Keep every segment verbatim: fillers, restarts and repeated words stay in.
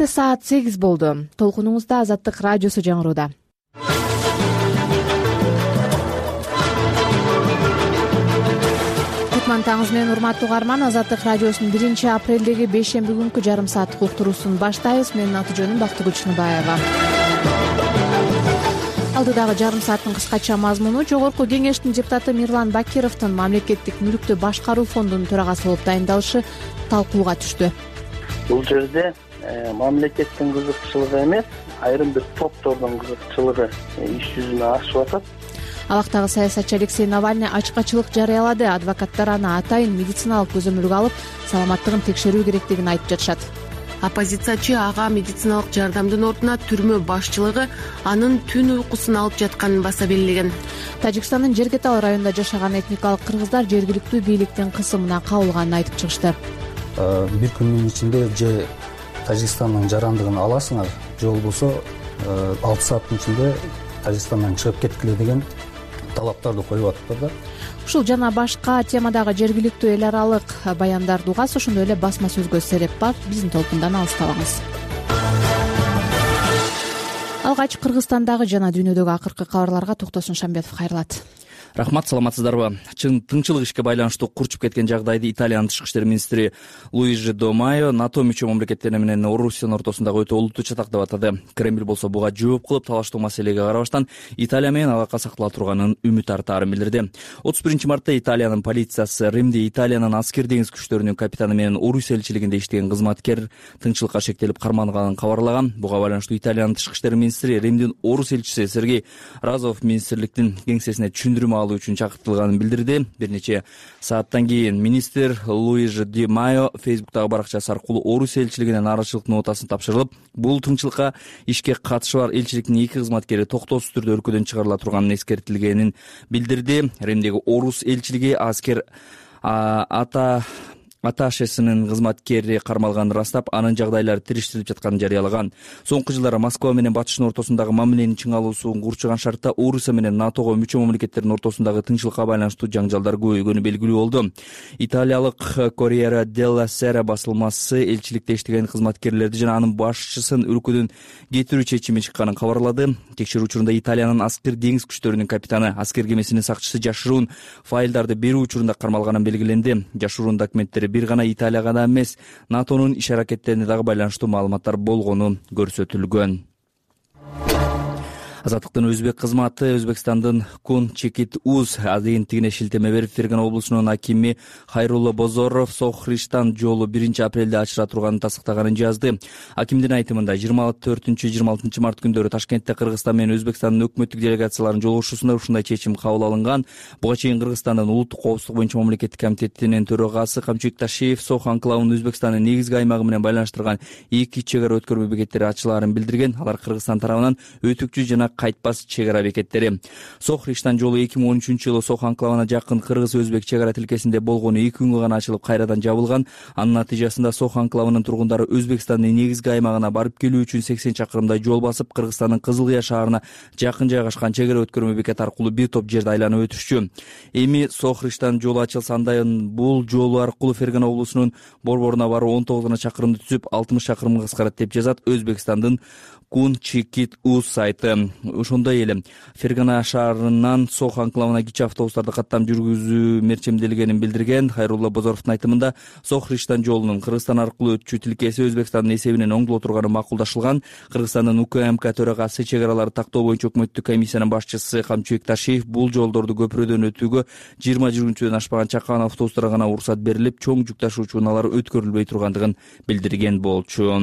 Саат сегиз болду. Толкунуңузда Азаттык радиосу жаңырууда. Кутман таңыңыз менен урматтуу угарман. Азаттык радиосунун биринчи апрелдеги бейшемби күнкү жарым сааттык уктуруусун баштайбыз. Менин аты жөнүм Бактыгүл Чыныбаева. Алдыдагы жарым сааттын кыскача мазмуну: Жогорку кеңештин депутаты Мирлан Бакировдун мамлекеттик мүлктү башкаруу фондунун төрагасы болуп дайындалышы талкууга түштү. Бул жерде мамлекеттин кызыкчылыгы эмес, айрым бир топтордун кызыкчылыгы иш жүзүнө ашып атат. Абактагы саясатчы Алексей Навальный ачык-ачык жарыялады. Адвокаттар аны атайын медициналык көзөмөлгө алып, саламаттыгын текшерүү керектигин айтып жатышат. Оппозициячы ага медициналык жардамдын ордуна түрмө башчылыгы анын түн уйкусун алып жатканын баса белгилеген. Тажикстандын Жергетал районунда жашаган этникалык кыргыздар жергиликтүү бийликтин кысымына кабылганын айтып чыгышты. Бир күндүн ичинде же Тажикстандын жарандыгын аласыңар, же болбосо алты сааттын ичинде Тажикстандан чыгып кеткиле деген талаптарды коюп атыптыр да. Ушул жана башка темадагы жергиликтүү эл аралык баяндарды угасыз, ошондой эле басма сөзгө сереп бар. Биздин толкундан алыстабаңыз. Алгач Кыргызстандагы жана дүйнөдөгү акыркы кабарларга Токтосун Шамбетов кайрылат. Рахмат, саламатсыздарбы? Чын тыңчылык ишке байланыштуу курчуп кеткен жагдайды Италиянын тышкы иштер министри Луиджи Ди Майо НАТО мүчө мамлекеттер менен Орусиянын ортосундагы өтө олуттуу чатак деп атады. Кремль болсо буга жооп кылып, талаштуу маселеге карабастан Италия менен алака сактала турганын үмүт артаарын билдирди. отуз биринчи мартта Италиянын полициясы Римде Италиянын аскер деңиз күчтөрүнүн капитаны менен Орусия элчилигинде иштеген кызматкер тыңчылыкка шектелип карманганын кабарлаган. Буга байланыштуу Италиянын тышкы иштер министри Римдин Орус элчиси Сергей Разов министрликтин кеңсесине түшүндүрмө алуу үчүн чакыртылганын билдирди. Бир нече сааттан кийин министр Луиджи Ди Майо Фейсбуктагы баракчасы аркылуу Орус элчилигине нааразычылык нотасын тапшырылып, бул тыңчылыкка ишке катышы бар элчиликтин эки кызматкери токтоосуз түрдө өлкөдөн чыгарыла турганын эскертилгенин билдирди. Римдеги Орус элчилиги аскер ата аташесинин кызматкери кармалганын ырастап, анын жагдайлары тириштирилип жатканын жарыялаган. Соңку жылдары Москва менен Батыштын ортосундагы мамиленин чыңалуусун курчуган шартта Орусия менен НАТОго мүчө мамлекеттердин ортосундагы тынччылыкка байланыштуу жаңжалдар көбөйгөнү белгилүү болду. Италиялык Corriere della Sera басылмасы элчиликте иштеген кызматкерлерди жана анын башчысын өлкөдөн кетирүү чечими чыкканын кабарлады. Текшерүү учурунда Италиянын аскер деңиз күчтөрүнүн капитаны, аскер кемесинин сакчысы жашыруун файлдарды берүү учурунда кармалганын белгиленди. Жашыруун документтери бир гана Италияга да эмес, НАТОнун иш аракеттерине дагы байланыштуу маалыматтар болгону көрсөтүлгөн. Азаттыктын өзбек кызматы Өзбекстандын Кун Чекит Уз агенттигине шилтеме берип, Фергана облусунун акими Хайрулла Бозоров Сохриштан жолу биринчи апрелде ачыла турганын тастыктаганын жазды. Акимдин айтымында жыйырма төртүнчү жыйырма алтынчы март күндөрү Ташкентте Кыргызстан менен Өзбекстандын өкмөттүк делегацияларынын жолугушуусунда ушундай чечим кабыл алынган. Буга чейин Кыргызстандын улуттук коопсуздук боюнча мамлекеттик комитетинин төрагасы Камчыбек Ташиев Сох анклавынын Өзбекстандын негизги аймагы менен байланыштырган эки чек ара өткөрмө бекеттери ачылаарын билдирген. Алар Кыргызстан тарабынан өтүкчү жана кайтпас чек ара бекеттери. Сохриштан жолу эки миң он үчүнчү жылы Сох анклавына жакын кыргыз-өзбек чек ара тилкесинде болгону эки күнгө гана ачылып, кайрадан жабылган. Анын натыйжасында Сох анклавынын тургундары Өзбекстандын негизги аймагына барып келүү үчүн сексен чакырымдай жол басып, Кыргызстандын Кызыл Кыя шаарына жакын жайгашкан чек ара өткөрмө бекети аркылуу бир топ жерди айланып өтүшчү. Эми Сохриштан жолу ачылса, андайын бул жол аркылуу Фергана облусунун борборуна баруу он тогуз гана чакырымды түзүп, алтымыш чакырымга кыскарат деп жазат Өзбекстандын Кун Чекит Уз сайты. Ошондой эле Фергана шаарынан Сох анклавына кичи автобустарды каттам жүргүзүү мерчемделгенин билдирген. Хайрулла Бозоровдун айтымында Сохриштан жолунун Кыргызстан аркылуу өтчү тилкеси Өзбекстандын эсебинен оңдоло турганы макулдашылган. Кыргызстандын УКМК төрагасы чек араларды тактоо боюнча өкмөттүк комиссиянын башчысы Камчыбек Ташиев бул жолдорду көпүрөдөн өтүүгө жыйырма жүргүнчүдөн ашпаган чакан автобустарга гана уруксат берилип, чоң жүк ташуучу унаалар өткөрүлбөй тургандыгын билдирген болчу.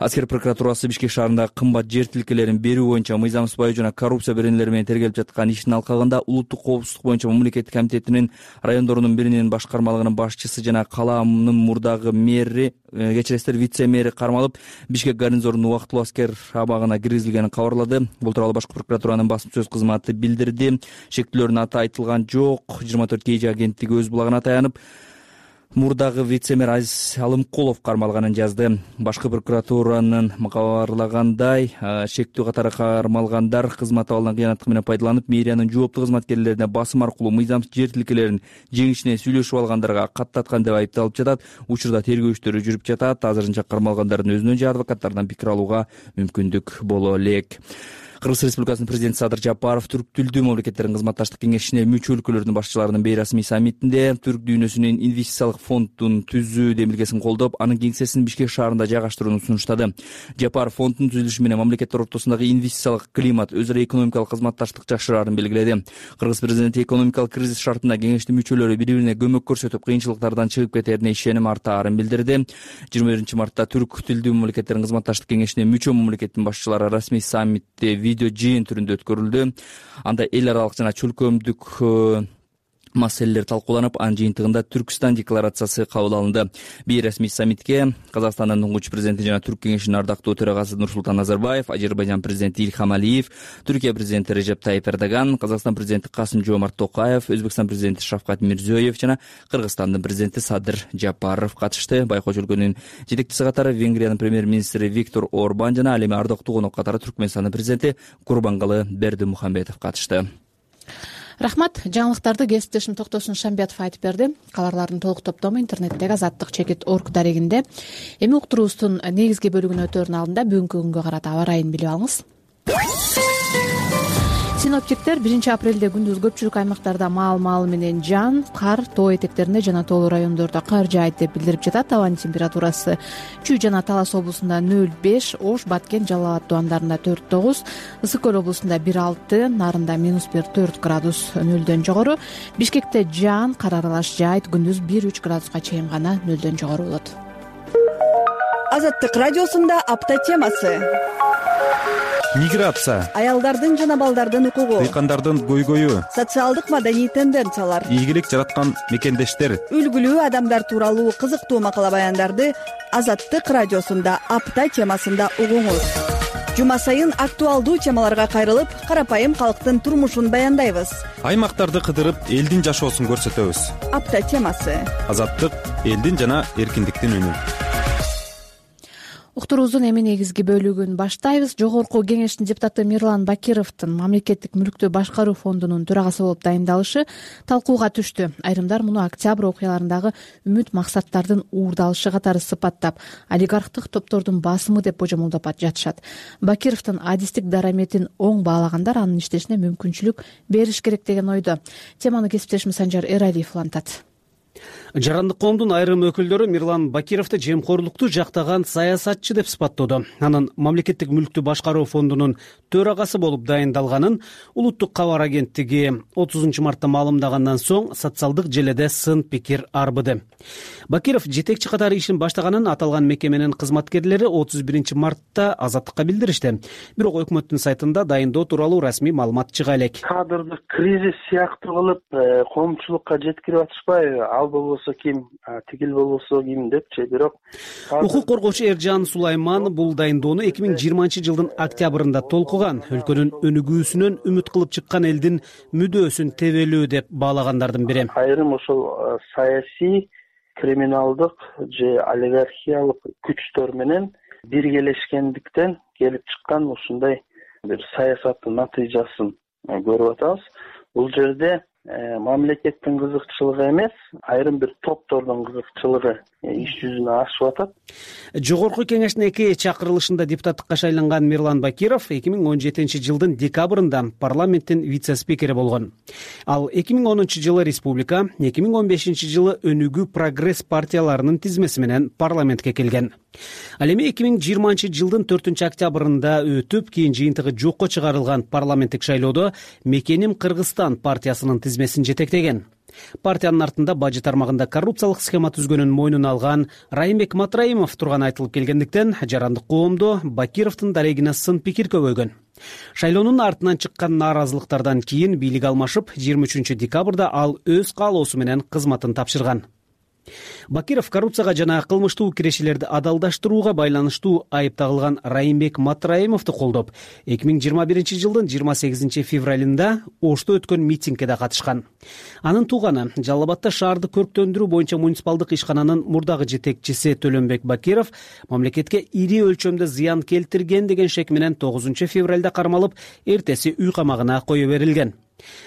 Аскер прокуратурасы Бишкек шаарында кымбат жер тилкелерин берүү боюнча мыйзамсыз жана коррупция беренелери менен тергелип жаткан ишин алкагында улуттук коопсуздук боюнча мамлекеттик комитетинин райондорунун биринин башкармалыгынын башчысы жана каламдын мурдагы мэри, кечиресиздер, вице-мэри кармалып, Бишкек гарнизонунун убактылуу аскер абагына киргизилгенин кабарлады. Бул тууралуу башкы прокуратуранын басма сөз кызматы билдирди. Шектүүлөрдүн аты айтылган жок. жыйырма төрт кей жи агенттиги өз булагына таянып, мурдагы вице-мэр Азиз Алымкулов кармалганын жазды. Башкы прокуратуранын кабарлагандай, шектүү катары кармалгандар кызмат абалынан кыянаттык менен пайдаланып, мэриянын жооптуу кызматкерлерине басым аркылуу мыйзам жер тилкелерин жеңишине сүйлөшүп алгандарга каттаткан деп айыпталып жатат. Учурда тергөө иштери жүрүп жатат. Азырынча кармалгандардын өзүнөн же адвокаттардан пикир алууга мүмкүндүк боло элек. Кыргыз Республикасынын президенти Садыр Жапаров Түрк тилдүү мамлекеттердин кызматташтык кеңешине мүчө өлкөлөрдүн башчыларынын бейрасмий саммитинде Түрк дүйнөсүнүн инвестициялык фондун түзүү демилгесин колдоп, анын кеңсесин Бишкек шаарында жайгаштырууну сунуштады. Жапаров фонддун түзүлүшү менен мамлекеттер ортосундагы инвестициялык климат, өзара экономикалык кызматташтык жакшыраарын белгиледи. Кыргыз президенти экономикалык кризис шартында кеңештин мүчөлөрү бири-бирине көмөк көрсөтүп, кыйынчылыктардан чыгып кетерине ишеним артаарын билдирди. жыйырма биринчи мартта Түрк тилдүү мамлекеттердин кызматташтык кеңешине мүчө мамлекеттин башчылары расмий саммитте видео жыйын түрүндө өткөрүлдү. Анда эл аралык жана чөлкөмдүк маселелер талкууланып, анын жыйынтыгында Түркстан декларациясы кабыл алынды. Бейрасмий саммитке Казакстандын туңгуч президенти жана Түрк кеңешинин ардактуу төрагасы Нурсултан Назарбаев, Азербайжан президенти Ильхам Алиев, Түркия президенти Режеп Тайип Эрдоган, Казакстан президенти Касым Жомарт Токаев, Өзбекстан президенти Шавкат Мирзиёев жана Кыргызстандын президенти Садыр Жапаров катышты. Байкоочу өлкөнүн жетекчиси катары Венгриянын премьер-министри Виктор Орбан жана ал эми ардактуу конок катары Түркмөнстандын президенти Курбангалы Бердимухамедов катышты. Рахмат. Жаңылыктарды кесиптешим Токтосун Шамбиятов айтып берди. Кабарлардын толук топтому интернеттеги азаттык чекит точка орг дарегинде. Эми уктуруубуздун негизги бөлүгүнө өтөөрүнүн алдында бүгүнкү күнгө карата аба ырайын билип алыңыз. Синоптиктер биринчи апрелде күндүз көпчүлүк аймактарда маал-маалы менен жаан, кар, тоо этектеринде жана тоолуу райондордо кар жаайт деп билдирип жатат. Абанын температурасы Чүй жана Талас облусунда нөл беш, Ош, Баткен, Жалал абад дубандарында төрт тогуз, Ысык көл облусунда бир алты, Нарында минус бир төрт градус нөлдөн жогору. Бишкекте жаан, кар аралаш жаайт, күндүз бир үч градуска чейин гана нөлдөн жогору болот. Азаттык радиосунда апта темасы. Миграция, аялдардын жана балдардын укугу, дыйкандардын көйгөйү, социалдык маданий тенденциялар, ийгилик жараткан мекендештер, үлгүлүү адамдар тууралуу кызыктуу макала баяндарды Азаттык радиосунда апта темасында угуңуз. Жума сайын актуалдуу темаларга кайрылып, карапайым калктын турмушун баяндайбыз. Аймактарды кыдырып, элдин жашоосун көрсөтөбүз. Апта темасы. Азаттык элдин жана эркиндиктин үнү. Уктуруубуздун эми негизги бөлүгүн баштайбыз. Жогорку кеңештин депутаты Мирлан Бакировдун мамлекеттик мүлктү башкаруу фондунун төрагасы болуп дайындалышы талкууга түштү. Айрымдар муну октябрь окуяларындагы үмүт максаттардын уурдалышы катары сыпаттап, олигархтык топтордун басымы деп божомолдоп жатышат. Бакировдун адистик дараметин оң баалагандар анын иштешине мүмкүнчүлүк бериш керек деген ойдо. Теманы кесиптешим Санжар Эралиев улантат. Жарандык коомдун айрым өкүлдөрү Мирлан Бакировду жемкорлукту жактаган саясатчы деп сыпаттоодо. Анын мамлекеттик мүлктү башкаруу фондунун төрагасы болуп дайындалганын Улуттук кабар агенттиги отузунчу мартта маалымдагандан соң социалдык желеде сын пикир арбыды. Бакиров жетекчи катары ишин баштаганын аталган мекеменин кызматкерлери отуз биринчи мартта Азаттыкка билдиришти. Бирок өкмөттүн сайтында дайындоо тууралуу расмий маалымат чыга элек. Кадрдык кризис сыяктуу кылып коомчулукка жеткирип атышпайбы? Ал болбосо ким, тигил болбосо ким депчи. Бирок укук коргоочу Эржан Сулайман бул дайындоону эки миң жыйырманчы жылдын октябрында толкуган. Өлкөнүн өнүгүүсүнөн үмүт кылып чыккан элдин мүдөөсүн тебелүү деп баалагандардын бири. Айрым ошол саясий, криминалдык же олигархиялык күчтөр менен биргелешкендиктен келип чыккан ушундай бир саясаттын натыйжасын көрүп атабыз. Бул жерде мамлекеттин кызыкчылыгы эмес, айрым бир топтордун кызыкчылыгы иш жүзүнө ашып атат. Жогорку кеңештин эки чакырылышында депутаттыкка шайланган Мирлан Бакиров эки миң он жетинчи жылдын декабрында парламенттин вице-спикери болгон. Ал эки миң онунчу жылы Республика, эки миң он бешинчи жылы Өнүгүү Прогресс партияларынын тизмеси менен парламентке келген. Ал эми эки миң жыйырманчы жылдын төртүнчү октябрында өтүп, кийин жыйынтыгы жокко чыгарылган парламенттик шайлоодо Мекеним Кыргызстан партиясынын тизмесин жетектеген. Партиянын артында бажы тармагында коррупциялык схема түзгөнүн мойнуна алган Райымбек Матраимов турганы айтылып келгендиктен, жарандык коомдо Бакировдун дарегине сын пикир көбөйгөн. Шайлоонун артынан чыккан нааразылыктардан кийин бийлик алмашып, жыйырма үчүнчү декабрда ал өз каалоосу менен кызматын тапшырган. Бакиров коррупцияга жана кылмыштуу кирешелерди адалдаштырууга байланыштуу айып тагылган Райымбек Матраимовду колдоп, эки миң жыйырма биринчи жылдын жыйырма сегизинчи февралында Ошто өткөн митингге да катышкан. Анын тууганы Жалал Абадта шаарды көрктөндүрүү боюнча муниципалдык ишкананын мурдагы жетекчиси Төлөнбек Бакиров мамлекетке ири өлчөмдө зыян келтирген деген шек менен тогузунчу февралда кармалып, эртеси үй камагына кое берилген.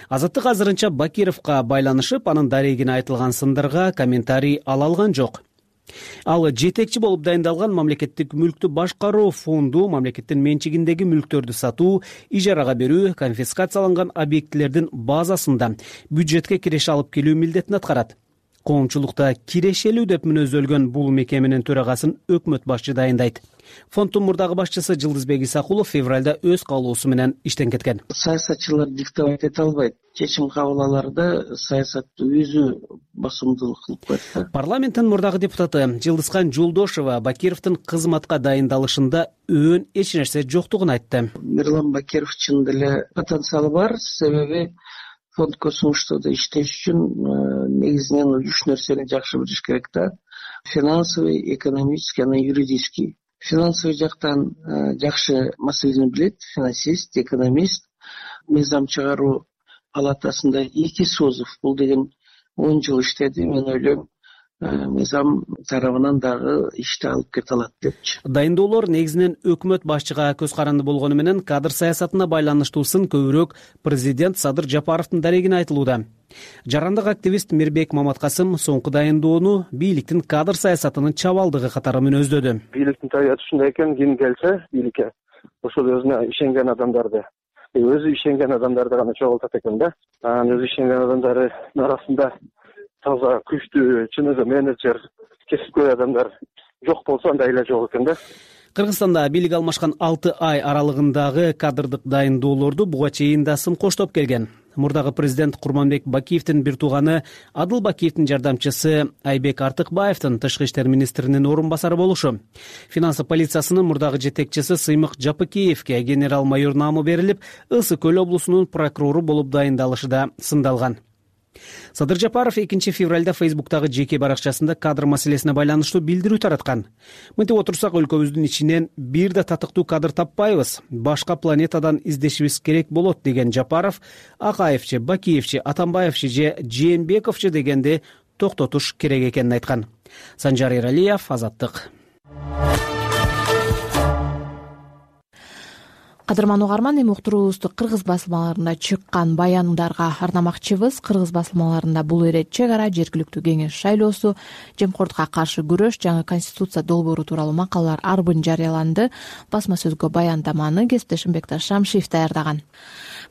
Азаттык азырынча Бакировго байланышып, анын дарегине айтылган сындарга комментарий ала алган жок. Ал жетекчи болуп дайындалган мамлекеттик мүлктү башкаруу фонду мамлекеттин менчигиндеги мүлктөрдү сатуу, ижарага берүү, конфискацияланган объектилердин базасында бюджетке киреше алып келүү милдетин аткарат. Коомчулукта кирешелүү деп мүнөздөлгөн бул мекеменин төрагасын өкмөт башчы дайындайт. Фонддун мурдагы башчысы Жылдызбек Исакулов февралда өз каалоосу менен иштен кеткен. Саясатчылар диктовать эте албайт. Чечим кабыл алаарда саясатты өзү басымдуулук кылып коет. Парламенттин мурдагы депутаты Жылдызхан Жолдошова Бакировдун кызматка дайындалышында өөн эч нерсе жоктугун айтты. Мирлан Бакиров чын деле потенциалы бар, себеби фонд космоштодо иштеш үчүн негизинен үч нерсени жакшы билиш керек да. Финансовый, экономический, анан юридический. Финансовый жактан жакшы маселени билет, финансист, экономист. Мыйзам чыгаруу палатасында эки Созов, бул деген он жыл иштеди. Мен ойлойм, мыйзам тарабынан дагы ишти алып кете алат депчи. Дайындоолор негизинен өкмөт башчыга көз каранды болгону менен кадр саясатына байланыштуусын көбүрөөк президент Садыр Жапаровдун дарегине айтылууда. Жарандык активист Мирбек Маматкасым соңку дайындоону бийликтин кадр саясатынын чабалдыгы катары мүнөздөдү. Бийликтин табияты ушундай экен, ким келсе бийликке ошол өзүнө ишенген адамдарды, өзү ишенген адамдарды гана чогултат экен да. Анан өзү ишенген адамдардын арасында таза күчтүү, чын эле менеджер, кесипкөй адамдар жок болсо андай эле жок экен да. Кыргызстанда бийлик алмашкан алты ай аралыгындагы кадрдык дайындоолорду буга чейин да сын коштоп келген. Мурдагы президент Курманбек Бакиевдин бир тууганы Адыл Бакиевдин жардамчысы Айбек Артыкбаевдин тышкы иштер министринин орун басары болушу, финансы полициясынын мурдагы жетекчиси Сыймык Жапыкеевге генерал майор наамы берилип, Ысык Көл облусунун прокурору болуп дайындалышы да сындалган. Садыр Жапаров экинчи февралда Фейсбуктагы жеке баракчасында кадр маселесине байланыштуу билдирүү тараткан. Мынтип отурсак, өлкөбүздүн ичинен бир да татыктуу кадр таппайбыз, башка планетадан издешибиз керек болот деген Жапаров Акаевчи, Бакиевчи, Атамбаевчи же Жээнбековчи дегенде токтотуш керек экенин айткан. Санжар Эралиев, Азаттык. Кадырман угарман, эми уктуруубузду кыргыз басылмаларында чыккан баяндарга арнамакчыбыз. Кыргыз басылмаларында бул ирет чек ара, жергиликтүү кеңеш шайлоосу, жемкордукка каршы күрөш, жаңы конституция долбоору тууралуу макалалар арбын жарыяланды. Басма сөзгө баяндаманы кесиптешим Бекташ Шамшиев даярдаган.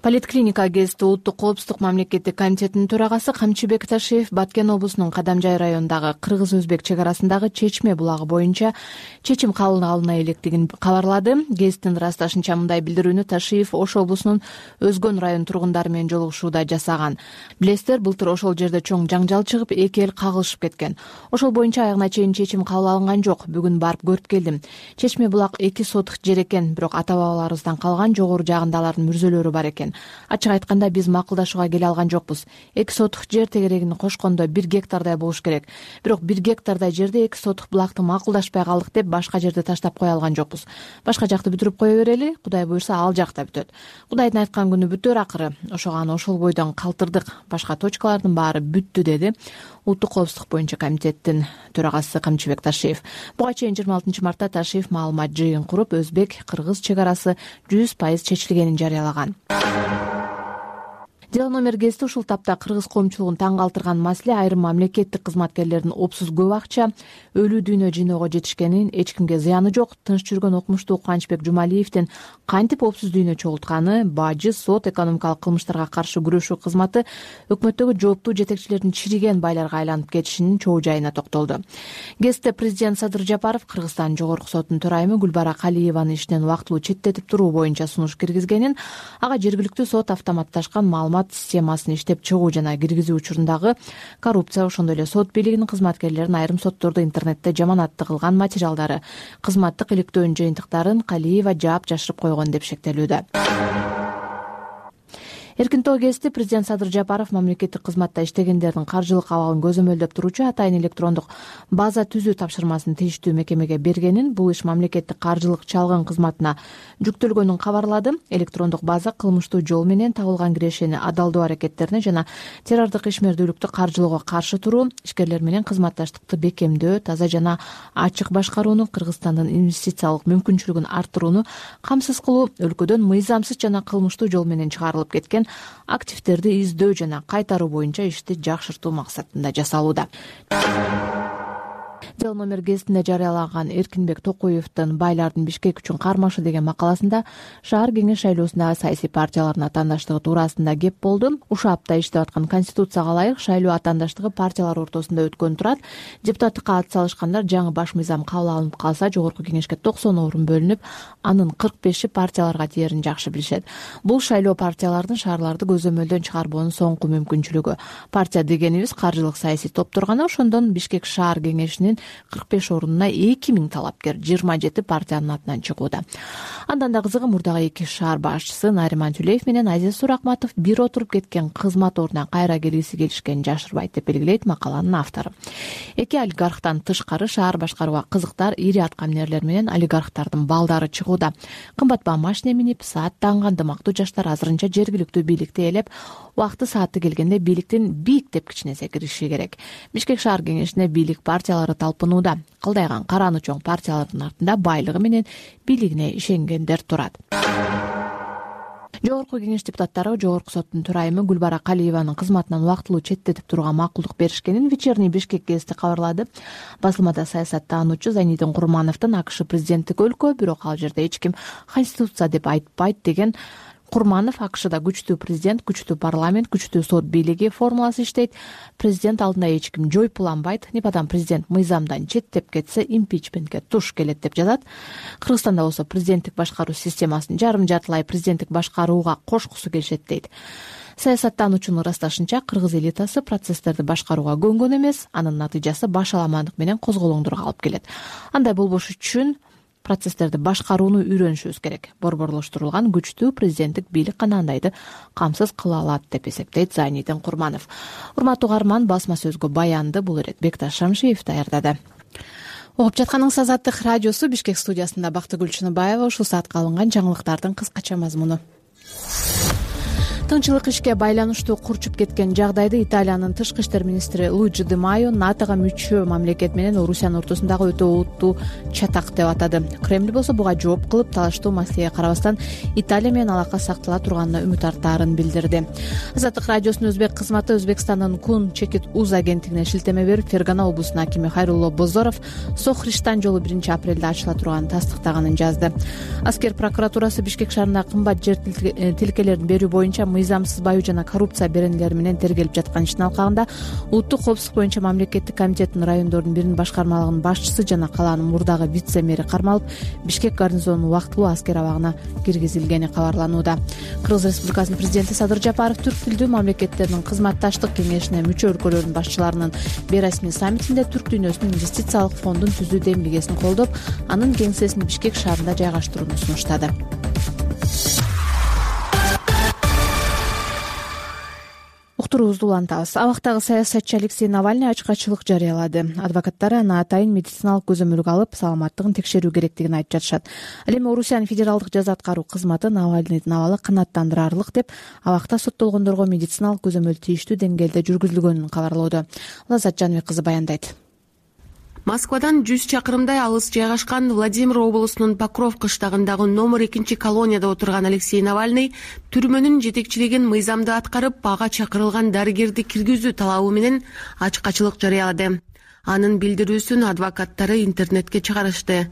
Политклиника гезити Улуттук коопсуздук мамлекеттик комитетинин төрагасы Камчыбек Ташиев Баткен облусунун Кадамжай районундагы кыргыз-өзбек чек арасындагы Чечме булагы боюнча чечим кабыл алына электигин кабарлады. Гезиттин ырасташынча мындай билдирүүнү Ташиев Ош облусунун Өзгөн район тургундары менен жолугушууда жасаган. Билесиздер, былтыр ошол жерде чоң жаңжал чыгып, эки эл кагылышып кеткен. Ошол боюнча аягына чейин чечим кабыл алынган жок. Бүгүн барып көрүп келдим. Чечме булак эки сотук жер экен, бирок ата-бабаларыбыздан калган жогору жагында алардын мүрзөлөрү бар экен. Ачык айтканда, биз макулдашууга келе алган жокпуз. эки сотук жер тегерегин кошкондо бир гектардай болуш керек. Бирок бир гектардай жерде эки сотук булакты макулдашпай калдык деп башка жерде таштап кое алган жокпуз. Башка жакты бүтүрүп кое берели, Кудай буйрса ал жакта бүтөт. Кудайдын айткан күнү бүтөр акыры. Ошого аны ошол бойдон калтырдык. Башка точкалардын баары бүттү, деди Улуттук коопсуздук боюнча комитеттин төрагасы Камчыбек Ташиев. Буга чейин жыйырма алтынчы мартта Ташиев маалымат жыйын куруп, өзбек-кыргыз чек арасы жүз пайыз чечилгенин жарыялаган. Дел номер гезити ушул тапта кыргыз коомчулугун таң калтырган маселе айрым мамлекеттик кызматкерлердин опсуз көп акча өлүү дүйнө жыйноого жетишкенин, эч кимге зыяны жок, тынч жүргөн окумуштуу Кубанычбек Жумалиевдин кантип опсуз дүйнө чогултканы, бажы, сот, экономикалык кылмыштарга каршы күрөшүү кызматы өкмөттөгү жооптуу жетекчилердин чириген байларга айланып кетишинин чоо жайына токтолду. Гезитте президент Садыр Жапаров Кыргызстан жогорку сотунун төрайымы Гүлбара Калиеваны иштен убактылуу четтетип туруу боюнча сунуш киргизгенин, ага жергиликтүү сот автоматташкан маалымат системасын иштеп чыгуу жана киргизүү учурундагы коррупция, ошондой эле сот бийлигинин кызматкерлерин айрым соттордо интернетте жаманатты кылган материалдары, кызматтык иликтөөнүн жыйынтыктарын Калиева жаап жашырып койгон деп шектелүүдө. эркин тоо гезити президент Садыр Жапаров мамлекеттик кызматта иштегендердин каржылык абалын көзөмөлдөп туруучу атайын электрондук база түзүү тапшырмасын тийиштүү мекемеге бергенин, бул иш мамлекеттик каржылык чалгын кызматына жүктөлгөнүн кабарлады. Электрондук база кылмыштуу жол менен табылган кирешени адалдоо аракеттерине жана террордук ишмердүүлүктү каржылоого каршы туруу, ишкерлер менен кызматташтыкты бекемдөө, таза жана ачык башкарууну, Кыргызстандын инвестициялык мүмкүнчүлүгүн арттырууну камсыз кылуу, өлкөдөн мыйзамсыз жана кылмыштуу жол менен чыгарылып кеткен активдерди издөө жана кайтаруу боюнча ишти жакшыртуу максатында жасалууда. Дел номер гезитинде жарыялаган Эркинбек Токуевдин «Байлардын Бишкек үчүн кармашы» деген макаласында шаар кеңеш шайлоосундагы саясий партиялардын атаандаштыгы туурасында кеп болду. Ушул апта иштеп аткан Конституцияга ылайык шайлоо атаандаштыгы партиялар ортосунда өткөн турат. Депутаттыкка ат салышкандар жаңы баш мыйзам кабыл алынып калса, жогорку кеңешке токсон орун бөлүнүп, анын кырк беши партияларга тиерин жакшы билишет. Бул шайлоо партиялардын шаарларды көзөмөлдөн чыгарбоонун соңку мүмкүнчүлүгү. Партия дегенибиз каржылык саясий топтор гана, ошондон Бишкек шаар кеңешинин кырк беш орунуна эки миң талапкер жыйырма жети партиянын атынан чыгууда. Андан да кызыгы, мурдагы эки шаар башчысы Нариман Түлеев менен Азиз Суракматов бир отуруп кеткен кызмат ордуна кайра келгиси келишкенин жашырбайт деп белгилейт макаланын автору. Эки олигархтан тышкары шаар башкарууга кызыктар ири аткаминерлер менен олигархтардын балдары чыгууда. Кымбат баа машина минип, саат танган дымактуу жаштар азырынча жергиликтүү бийликти ээлеп, убакты сааты келгенде бийликтин бийик тепкичине кириши керек. Бишкек шаар кеңешине бийлик партиялары талпынууда. Кылдайган караны чоң партиялардын артында байлыгы менен бийлигине ишенгендер турат. Жогорку кеңеш депутаттары Жогорку соттун төрайымы Гүлбара Калиеванын кызматынан убактылуу четтетип турууга макулдук беришкенин Вечерний Бишкек гезити кабарлады. Басылмада саясаттануучу Зайнидин Курмановдун АКШ президенттик өлкө, бирок ал жерде эч ким конституция деп айтпайт деген Курманов, АКШда күчтүү президент, күчтүү парламент, күчтүү сот бийлиги формуласы иштейт. Президент алдында эч ким жойпуланбайт. Непадан президент мыйзамдан четтеп кетсе, импичментке туш келет деп жазат. Кыргызстанда болсо президенттик башкаруу системасын жарым-жартылай президенттик башкарууга кошкусу келишет дейт. Саясаттануучунун ырасташынча, кыргыз элитасы процесстерди башкарууга көнгөн эмес, анын натыйжасы башаламандык менен козголоңдорго алып келет. Андай болбош үчүн процесстерди башкарууну үйрөнүшүбүз керек. Борборлоштурулган күчтүү президенттик бийлик гана андайды камсыз кыла алат деп эсептейт Зайнидин Курманов. Урматтуу угарман, басма сөзгө баянды бул ирет Бекташ Шамшиев даярдады. Угуп жатканыңыз Азаттык радиосу. Бишкек студиясында Бактыгүл Чыныбаева. Ушул саатка алынган жаңылыктардын кыскача мазмуну. Тынччылык ишке байланыштуу курчуп кеткен жагдайды Италиянын тышкы иштер министри Луиджи Ди Майо НАТОга мүчө мамлекет менен Орусиянын ортосундагы өтө олуттуу чатак деп атады. Кремль болсо буга жооп кылып, талаштуу маселеге карабастан Италия менен алака сактала турганына үмүт арттаарын билдирди. Азаттык радиосунун өзбек кызматы Өзбекстандын Кун Чекит Уз агенттигине шилтеме берип, Фергана облусунун акими Хайрулло Бозоров Сохриштан жолу биринчи апрелде ачыла турганын тастыктаганын жазды. Аскер прокуратурасы Бишкек шаарында кымбат жер тилкелерин берүү боюнча мыйзамсыз баю жана коррупция беренелери менен тергелип жаткан иштин алкагында улуттук коопсуздук боюнча мамлекеттик комитеттин райондордун биринин башкармалыгынын башчысы жана калаанын мурдагы вице-мэри кармалып, Бишкек гарнизонунун убактылуу аскер абагына киргизилгени кабарланууда. Кыргыз Республикасынын президенти Садыр Жапаров түрк тилдүү мамлекеттердин кызматташтык кеңешине мүчө өлкөлөрдүн башчыларынын бейресмий саммитинде түрк дүйнөсүнүн инвестициялык фондун түзүү демилгесин колдоп, анын кеңсесин Бишкек шаарында жайгаштырууну сунуштады. Уктуруубузду улантабыз. Абактагы саясатчы Алексей Навальный ачкачылык жарыялады. Адвокаттары аны атайын медициналык көзөмөлгө алып, саламаттыгын текшерүү керектигин айтып жатышат. Ал эми Орусиянын федералдык жаза аткаруу кызматы Навальныйдын абалы канааттандырарлык деп, абакта соттолгондорго медициналык көзөмөл тийиштүү деңгээлде жүргүзүлгөнүн кабарлоодо. Лаззат Жаныбек кызы баяндайт. Москвадан жүз чакырымдай алыс жайгашкан Владимир облусунун Покров кыштагындагы номер экинчи колонияда отурган Алексей Навальный түрмөнүн жетекчилигин мыйзамды аткарып, ага чакырылган дарыгерди киргизүү талабы менен ачкачылык жарыялады. Анын билдирүүсүн адвокаттары интернетке чыгарышты.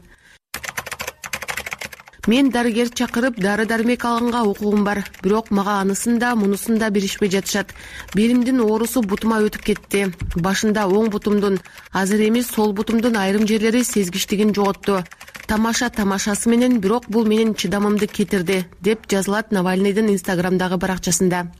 Мен дарыгер чакырып, дары-дармек алганга укугум бар, бирок мага анысын да, мунусун да беришпей жатышат. Белимдин оорусу бутума өтүп кетти. Башында оң бутумдун, азыр эми сол бутумдун айрым жерлери сезгичтигин жоготту. Тамаша тамашасы менен, бирок бул менин чыдамымды кетирди, деп жазылат Навальныйдын Инстаграмдагы баракчасында.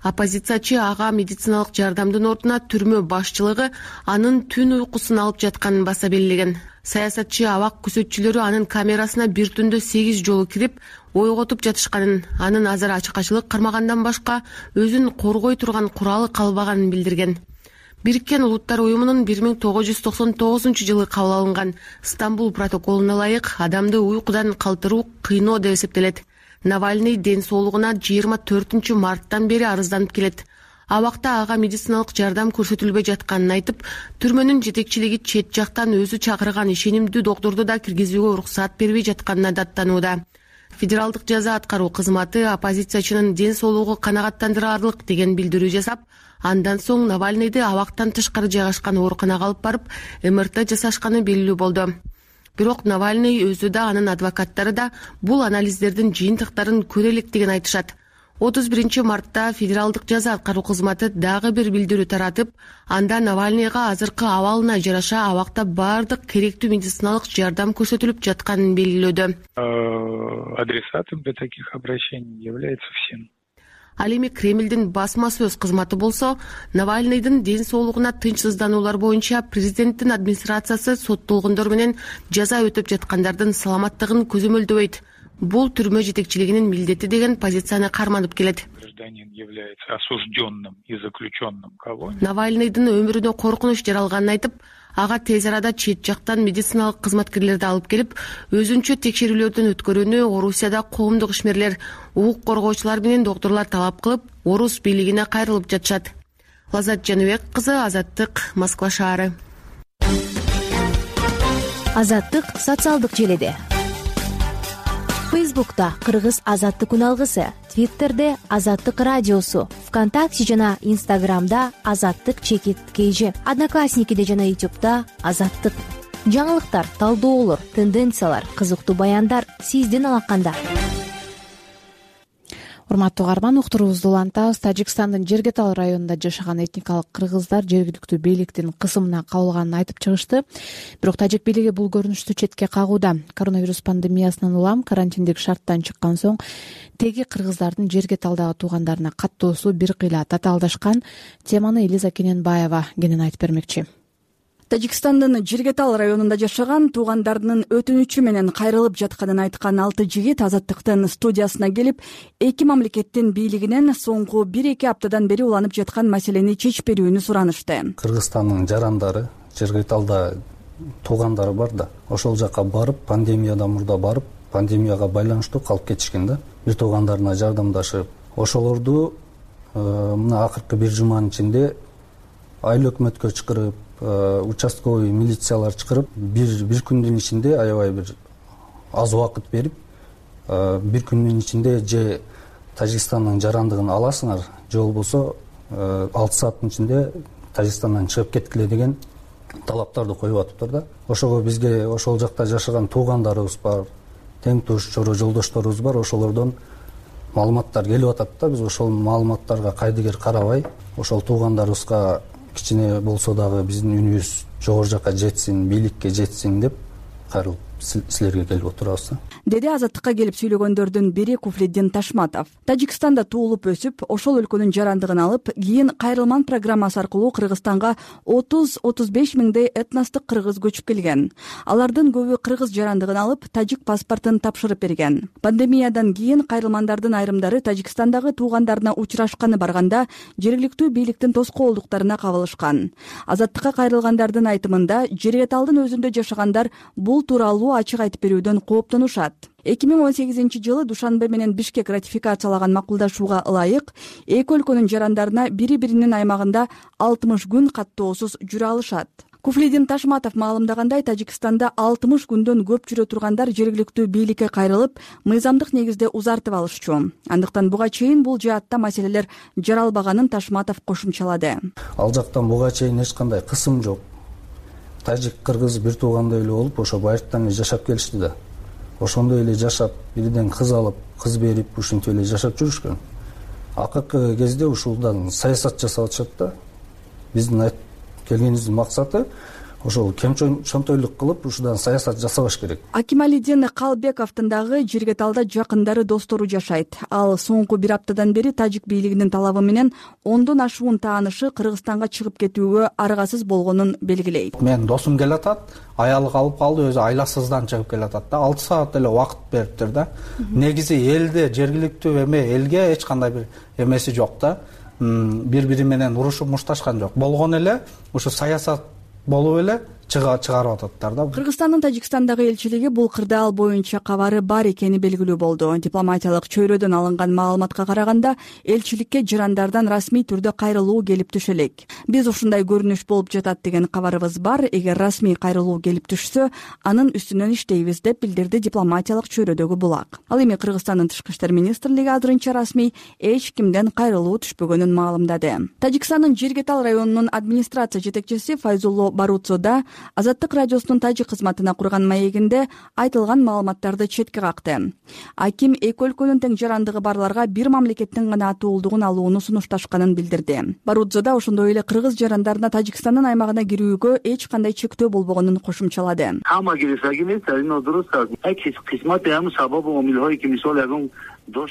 Оппозициячы ага медициналык жардамдын ордуна түрмө башчылыгы анын түн уйкусун алып жатканын баса белгилеген. саясатчы абак күзөтчүлөрү анын камерасына бир түндө сегиз жолу кирип ойготуп жатышканын, анын азыр ачык-ачылык кармагандан башка өзүн коргой турган куралы калбаганын билдирген. Бириккен Улуттар уюмунун бир миң тогуз жүз токсон тогузунчу жылы кабыл алынган Стамбул протоколуна ылайык адамды уйкудан калтыруу кыйноо деп эсептелет. Навальный ден соолугуна жыйырма төртүнчү марттан бери арызданып келет. Абакта ага медициналык жардам көрсөтүлбөй жатканын айтып, түрмөнүн жетекчилиги чет жактан өзү чакырган ишенимдүү доктурду да киргизүүгө уруксаат бербей жатканына даттанууда. Федералдык жаза аткаруу кызматы оппозициячынын ден соолугу канагаттандырарлык деген билдирүү жасап, андан соң Навальныйды абактан тышкары жайгашкан ооруканага алып барып, эм эр тэ жасашканы белгилүү болду. Бирок Навальный өзү да, анын адвокаттары да бул анализдердин жыйынтыктарын көрө электигин айтышат. отуз биринчи мартта Федералдык жаза аткаруу кызматы дагы бир билдирүү таратып, анда Навальныйга азыркы абалына жараша абакта бардык керектүү медициналык жардам көрсөтүлүп жатканын белгилөөдө. Адресатом для таких обращений является всем. Ал эми Кремлдин басма сөз кызматы болсо, Навальныйдын ден соолугуна тынчсыздануулар боюнча президенттин администрациясы соттолгондор менен жаза өтөп жаткандардын саламаттыгын көзөмөлдөбөйт. Бул түрмө жетекчилигинин милдети деген позицияны карманып келет. Гражданин является осужденным и заключенным колонией. Навальныйдын өмүрүнө коркунуч жаралганын айтып, ага тез арада чет жактан медициналык кызматкерлерди алып келип, өзүнчө текшерүүлөрдөн өткөрүүнү Орусияда коомдук ишмерлер, укук коргоочулар менен доктурлар талап кылып, орус бийлигине кайрылып жатышат. Лазат Жаныбек кызы, Азаттык, Москва шаары. Азаттык социалдык желеде. Фейсбукта Кыргыз Азаттык үналгысы, Твиттерде Азаттык радиосу, ВКонтакте жана Инстаграмда Азаттык чекит кейжи, Одноклассникиде жана Ютубта Азаттык. Жаңылыктар, талдоолор, тенденциялар, кызыктуу баяндар сиздин алаканда. Урматтуу угарман, уктуруубузду улантабыз. Тажикстандын Жергетал районунда жашаган этникалык кыргыздар жергиликтүү бийликтин кысымына кабылганын айтып чыгышты. Бирок тажик бийлиги бул көрүнүштү четке кагууда. Коронавирус пандемиясынан улам карантиндик шарттан чыккан соң теги кыргыздардын Жергеталдагы туугандарына каттоосу бир кыйла татаалдашкан. Теманы Элиза Кененбаева кенен айтып бермекчи. Тажикстандын Жергетал районунда жашаган туугандарынын өтүнүчү менен кайрылып жатканын айткан алты жигит Азаттыктын студиясына келип, эки мамлекеттин бийлигинен соңку бир-эки аптадан бери уланып жаткан маселени чечип берүүнү суранышты. Кыргызстандын жарандары, Жергеталда туугандары бар да, ошол жака барып, пандемиядан мурда барып, пандемияга байланыштуу калып кетишкен да. Бир туугандарына жардамдашып, ошолорду мына акыркы бир жуманын ичинде айыл өкмөткө чакырып, участковый милициялар чакырып, бир бир күндүн ичинде аябай бир аз убакыт берип, бир күндүн ичинде же Тажикстандын жарандыгын аласыңар, же болбосо алты сааттын ичинде Тажикстандан чыгып кеткиле деген талаптарды коюп атыптыр да. Ошого бизге ошол жакта жашаган туугандарыбыз бар, тең туш, чоро жолдошторубуз бар, ошолордон маалыматтар келип атат да. Биз ошол маалыматтарга кайдыгер карабай, ошол туугандарыбызга кичине болсо дагы биздин үнүбүз жогору жака жетсин, бийликке жетсин деп кайрылып силерге келип отурабыз, деди Азаттыкка келип сүйлөгөндөрдүн бири Куфлиддин Ташматов. Тажикстанда туулуп өсүп, ошол өлкөнүн жарандыгын алып, кийин Кайрылман программасы аркылуу Кыргызстанга отуз отуз беш миңдей этностук кыргыз көчүп келген. Алардын көбү кыргыз жарандыгын алып, тажик паспортун тапшырып берген. Пандемиядан кийин кайрылмандардын айрымдары Тажикстандагы туугандарына учурашканы барганда жергиликтүү бийликтин тоскоолдуктарына кабылышкан. Азаттыкка кайрылгандардын айтымында, Жергеталдын өзүндө жашагандар бул тууралуу ачык айтып берүүдөн кооптонушат. эки миң он сегизинчи жылы Душанбе менен Бишкек ратификациялаган макулдашууга ылайык эки өлкөнүн жарандарына бири-биринин аймагында алтымыш күн каттоосуз жүрө алышат. Куфлиддин Ташматов маалымдагандай, Тажикстанда алтымыш күндөн көп жүрө тургандар жергиликтүү бийликке кайрылып, мыйзамдык негизде узартып алышчу. Андыктан буга чейин бул жаатта маселелер жаралбаганын Ташматов кошумчалады. Ал жактан буга чейин эч кандай кысым жок. Тажик кыргыз бир туугандай эле болуп, ошо байыртан эле жашап келишти да. Ошондой эле жашап, бирден кыз алып, кыз берип, ушинтип эле жашап жүрүшкөн. Акыркы кезде ушулдан саясат жасап атышат да. Биздин келгенибиздин максаты ошол кемчөнчөнтөйлүк кылып ушудан саясат жасабаш керек. Акималидин Калбековдун дагы Жиргеталда жакындары достору жашайт. Ал соңку бир аптадан бери тажик бийлигинин талабы менен ондон ашуун таанышы Кыргызстанга чыгып кетүүгө аргасыз болгонун белгилейт. Менин досум келатат, аялы калып калды, өзү айласыздан чыгып келатат да, алты саат эле убакыт бериптир да. Негизи элде, жергиликтүү эме элге эч кандай бир эмеси жок да. Бири-бири менен урушуп мушташкан жок. Болгон эле ушу саясат болуп эле чыгарып ататтар да. Кыргызстандын Тажикстандагы элчилиги бул кырдаал боюнча кабары бар экени белгилүү болду. Дипломатиялык чөйрөдөн алынган маалыматка караганда, элчиликке жарандардан расмий түрдө кайрылуу келип түшө элек. Биз ушундай көрүнүш болуп жатат деген кабарыбыз бар. Эгер расмий кайрылуу келип түшсө, анын үстүнөн иштейбиз деп билдирди дипломатиялык чөйрөдөгү булак. Ал эми Кыргызстандын Тышкы иштер министрлиги азырынча расмий эч кимден кайрылуу түшпөгөнүн маалымдады. Тажикстандын Жиргетал районунун администрация жетекчиси Файзулло Барутзода Азаттык радиосунун тажик кызматына курган маегинде айтылган маалыматтарды четке какты. Аким эки өлкөнүн тең жарандыгы барларга бир мамлекеттин гана атуулдугун алууну сунушташканын билдирди. Барутзода ошондой эле кыргыз жарандарына Тажикстандын аймагына кирүүгө эч кандай чектөө болбогонун кошумчалады.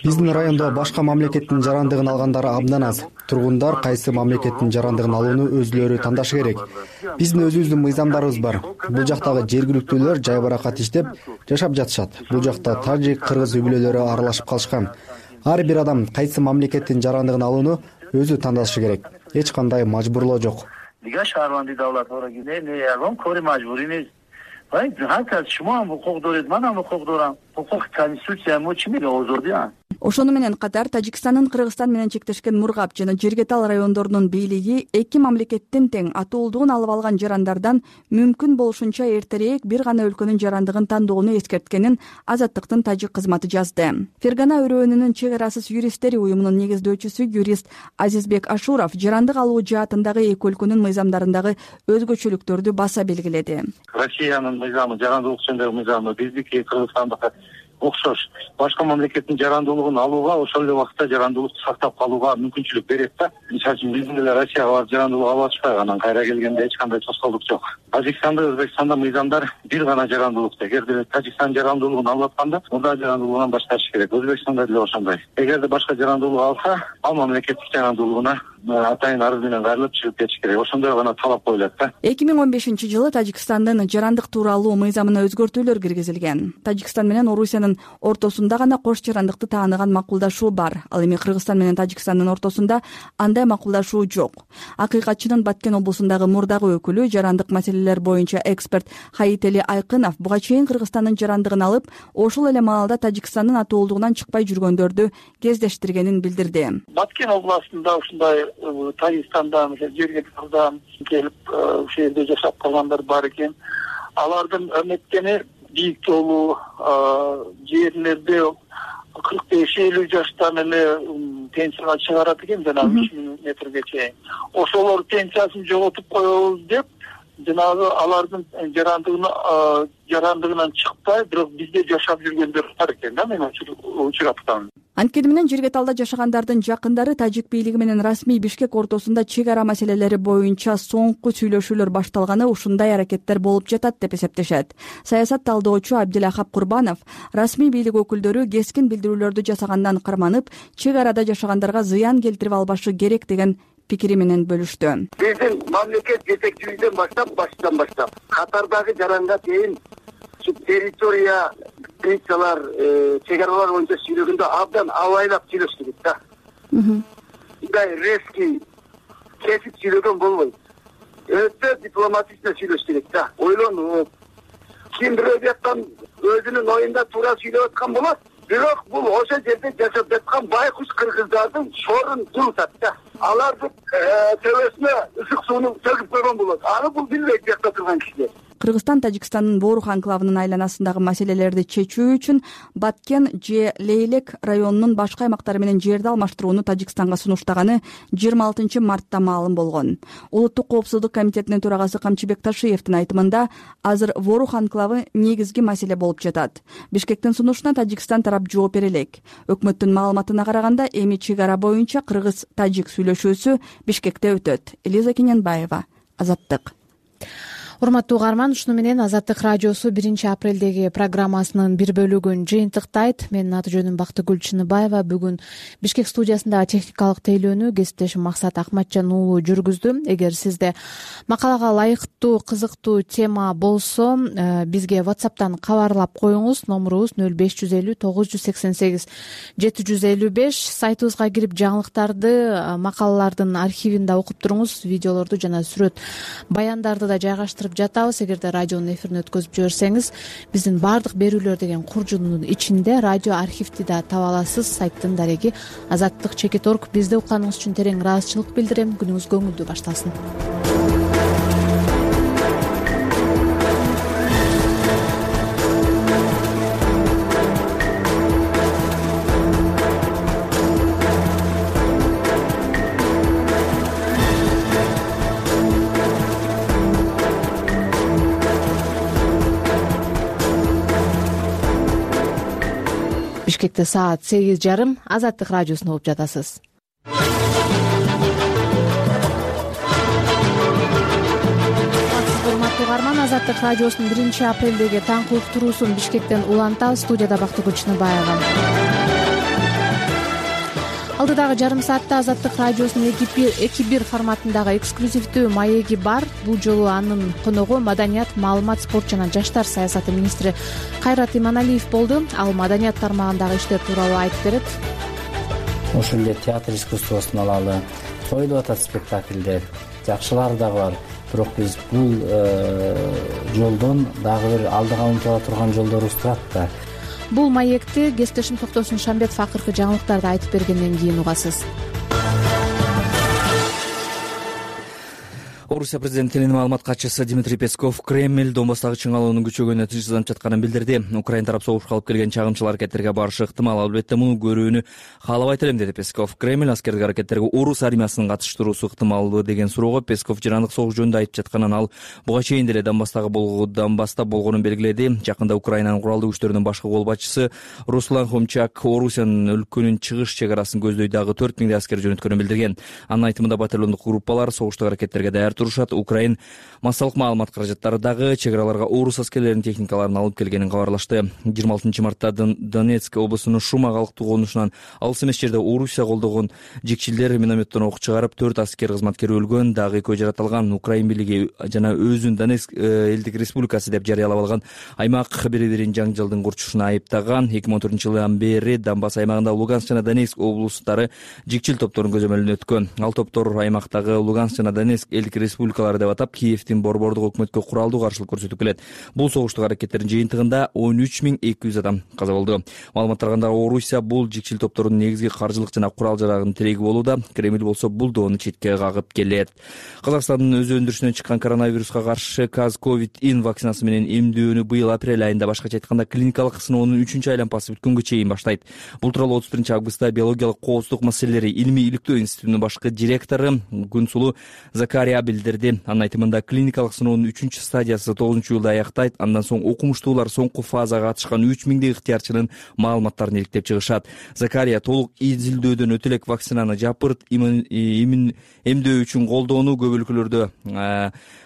Биздин райондо башка мамлекеттин жарандыгын алгандар абдан аз. Тургундар кайсы мамлекеттин жарандыгын алууну өзүлөрү тандашы керек. Биздин өзүбүздүн мыйзамдарыбыз бар. Бул жактагы жергиликтүүлөр жайбаракат иштеп жашап жатышат. Бул жакта тажик, кыргыз үй бүлөлөрү аралашып калышкан. Ар бир адам кайсы мамлекеттин жарандыгын алууну өзү тандашы керек. Эч кандай мажбурлоо жок. Ошону менен катар Тажикстандын Кыргызстан менен чектешкен Мургап жана Жиргетал райондорунун бийлиги эки мамлекеттин тең атуулдугун алып алган жарандардан мүмкүн болушунча эртерээк бир гана өлкөнүн жарандыгын тандоону эскерткенин Азаттыктын тажик кызматы жазды. Фергана өрөөнүнүн чек арасыз юристтери уюмунун негиздөөчүсү юрист Азизбек Ашуров жарандык алуу жаатындагы эки өлкөнүн мыйзамдарындагы өзгөчөлүктөрдү баса белгиледи. Россиянын мыйзамы, жарандылык жөнүндөгү мыйзамы биздики Кыргызстандыкы окшош. Башка мамлекеттин жарандуулугун алууга, ошол эле убакытта жарандуулукту сактап калууга мүмкүнчүлүк берет да. Мисалы үчүн биздин эле Россияга барып жарандуулук алып атышпайбы, анан кайра келгенде эч кандай тоскоолдук жок. Тажикстанда, Өзбекстанда мыйзамдар бир гана жарандуулук. Эгерде Тажикстан жарандуулугун алып атканда, мурда жарандуулугунан башташ керек. Өзбекстанда деле ошондой. Эгерде башка жарандуулук алса, ал мамлекеттик жарандуулугуна атайын арыз менен кайрылып чыгып кетиш керек. Ошондой гана талап коюлат да. эки миң он бешинчи жылы Тажикстандын жарандык тууралуу мыйзамына өзгөртүүлөр киргизилген. Тажикстан менен Орусиянын ортосунда гана кош жарандыкты тааныган макулдашуу бар. Ал эми Кыргызстан менен Тажикстандын ортосунда андай макулдашуу жок. Акыйкатчынын Баткен облусундагы мурдагы өкүлү, жарандык маселелер боюнча эксперт Хаители Айкынов буга чейин Кыргызстандын жарандыгын алып, ошол эле маалда Тажикстандын атуулдугунан чыкпай жүргөндөрдү кездештиргенин билдирди. Баткен областында ушундай Тажикстандан, Жиргеталдан келип ошол жерде жашап калгандар бар экен. Алардын өмөткени бийик тоолуу жерлерде кырк беш элүү жаштан эле пенсияга чыгарат экен, жанагы үч миң метрге чейин. Ошолор пенсиясын жоготуп коебуз деп, жанагы алардын жарандыгына жарандыгынан чыкпай, бирок бизде жашап жүргөндөр бар экен да, мен учураптам. Анткени менен Жиргеталда жашагандардын жакындары тажик бийлиги менен расмий Бишкек ортосунда чек ара маселелери боюнча соңку сүйлөшүүлөр башталганы ушундай аракеттер болуп жатат деп эсептешет. Саясат талдоочу Абдилахап Курбанов расмий бийлик өкүлдөрү кескин билдирүүлөрдү жасагандан карманып, чек арада жашагандарга зыян келтирип албашы керек деген пикири менен бөлүштү. Биздин мамлекет жетекчилигинен баштап, баштан баштап катардагы жаранга чейин территория границалар, чек аралар боюнча сүйлөгөндө абдан абайлап сүйлөш керек да. Мындай резкий кесип сүйлөгөн болбойт. Өтө дипломатично сүйлөш керек да. Ойлонуп, ким бирөө жактан өзүнүн оюнда туура сүйлөп аткан болот. Бирок бул ошол жерде жашап жаткан байкуш кыргыздардын шорун курутат да. Алардын төбөсүнө ысык сууну төгүп койгон болот. Аны бул билбейт жакта турган кишилер. Кыргызстан Тажикстандын Борух анклавынын айланасындагы маселелерди чечүү үчүн Баткен же Лейлек районунун башка аймактары менен жерди алмаштырууну Тажикстанга сунуштаганы жыйырма алтынчы мартта маалым болгон. Улуттук коопсуздук комитетинин төрагасы Камчыбек Ташиевдин айтымында, азыр Борух анклавы негизги маселе болуп жатат. Бишкектин сунушуна Тажикстан тарап жооп бере элек. Өкмөттүн маалыматына караганда, эми чек ара боюнча кыргыз-тажик сүйлөшүүсү Бишкекте өтөт. Элиза Кененбаева, Азаттык. урматтуу угарман, ушуну менен Азаттык радиосу биринчи апрелдеги программасынын бир бөлүгүн жыйынтыктайт. Менин аты жөнүм Бактыгүл Чыныбаева. Бүгүн Бишкек студиясындагы техникалык тейлөөнү кесиптешим Максат Акматжан уулу жүргүздү. Эгер сизде макалага ылайыктуу, кызыктуу тема болсо, бизге WhatsApp'тан кабарлап коюңуз. Номурубуз нөл беш жүз элүү тогуз жүз сексен сегиз жети жүз элүү беш. Сайтыбызга кирип жаңылыктарды, макалалардын архивин да окуп туруңуз. Видеолорду жана сүрөт баяндарды да жайгаштырып жатабыз. Эгерде радионун эфирин өткөзүп жиберсеңиз, биздин баардык берүүлөр деген куржунун ичинде радио архивди да таба аласыз. Сайттын дареги азаттык чекит точка орг. Бизди укканыңыз үчүн терең ыраазычылык билдирем. Күнүңүз көңүлдүү башталсын. Бишкекте саат сегиз жарым. Азаттык радиосун угуп жатасыз. Урматтуу угарман, Азаттык радиосунун биринчи апрелдеги таңкы уктуруусун Бишкектен улантабыз. Студияда Бактыгүл Чыныбаева. Алдыдагы жарым саатта Азаттык радиосунун эки бир форматындагы эксклюзивдүү маеги бар. Бул жолу анын коногу маданият, маалымат, спорт жана жаштар саясаты министри Кайрат Иманалиев болду. Ал маданият тармагындагы иштер тууралуу айтып берет. Ошол эле театр искусствосун алалы, коюлуп атат спектакльдер, жакшылары да бар. Бирок биз бул жолдон дагы бир алдыга умтула турган жолдорубуз турат да. Бул маекти кесиптешим Токтосун Шамбетов акыркы жаңылыктарды айтып бергенден кийин угасыз. Орусия президентинин маалымат катчысы Дмитрий Песков Кремль Донбасстагы чыңалуунун күчөгөнүнө тынчсызданып жатканын билдирди. Украин тарап согушка алып келген чагымчыл аракеттерге барышы ыктымал, албетте муну көрүүнү каалабайт элем, деди Песков. Кремль аскердик аракеттерге орус армиясынын катыштыруусу ыктымалбы деген суроого Песков жырандык согуш жөнүндө айтып жатканын, ал буга чейин деле Донбасстагы Донбасста болгонун белгиледи. Жакында Украинанын куралдуу күчтөрүнүн башкы колбатчысы Руслан Хомчак Орусиянын өлкөнүн чыгыш чек арасын көздөй дагы төрт миңдей аскер жөнөткөнүн билдирген. Анын айтымында батальондук группалар согуштук аракеттерге даяр турушат. Украин массалык маалымат каражаттары дагы чек араларга орус аскерлеринин техникаларын алып келгенин кабарлашты. жыйырма алтынчы мартта Донецк облусунун Шума калктуу конушунан алыс эмес жерде Орусия колдогон жекчилдер минометтон ок чыгарып, төрт аскер кызматкер өлгөн, дагы экөө жаратылган. Украин бийлиги жана өзүн Донецк элдик республикасы деп жарыялап алган аймак бири-бирин жаңжалдын курчушуна айыптаган. эки миң он төртүнчү жылдан бери Донбасс аймагында Луганск жана Донецк облустары жекчил топторун көзөмөлүнө өткөн. Ал топтор аймактагы Луганск жана Донецк элдик республикалары деп атап, Киевдин борбордук өкмөткө куралдуу каршылык көрсөтүп келет. Бул согуштук аракеттердин жыйынтыгында он үч миң эки жүз адам каза болду. Маалыматтарга андагы Орусия бул жекчил топтордун негизги каржылык жана курал жарагынын тиреги болууда. Кремль болсо бул доону четке кагып келет. Казакстандын өз өндүрүшүнөн чыккан коронавируска каршы Казковид-ин вакцинасы менен эмдөөнү быйыл апрель айында, башкача айтканда клиникалык сыноонун үчүнчү айланпасы бүткөнгө чейин баштайт. Бул тууралуу отуз биринчи августта биологиялык коопсуздук маселелери илимий иликтөө институтунун башкы директору Гүнсулуу Закария билдирди. Анын айтымында клиникалык сыноонун үчүнчү стадиясы тогузунчу июлда аяктайт. Андан соң окумуштуулар соңку фазага катышкан үч миңдей ыктыярчынын маалыматтарын иликтеп чыгышат. Закария толук изилдөөдөн өтө элек вакцинаны жапырт эмдөө үчүн колдоону көп өлкөлөрдө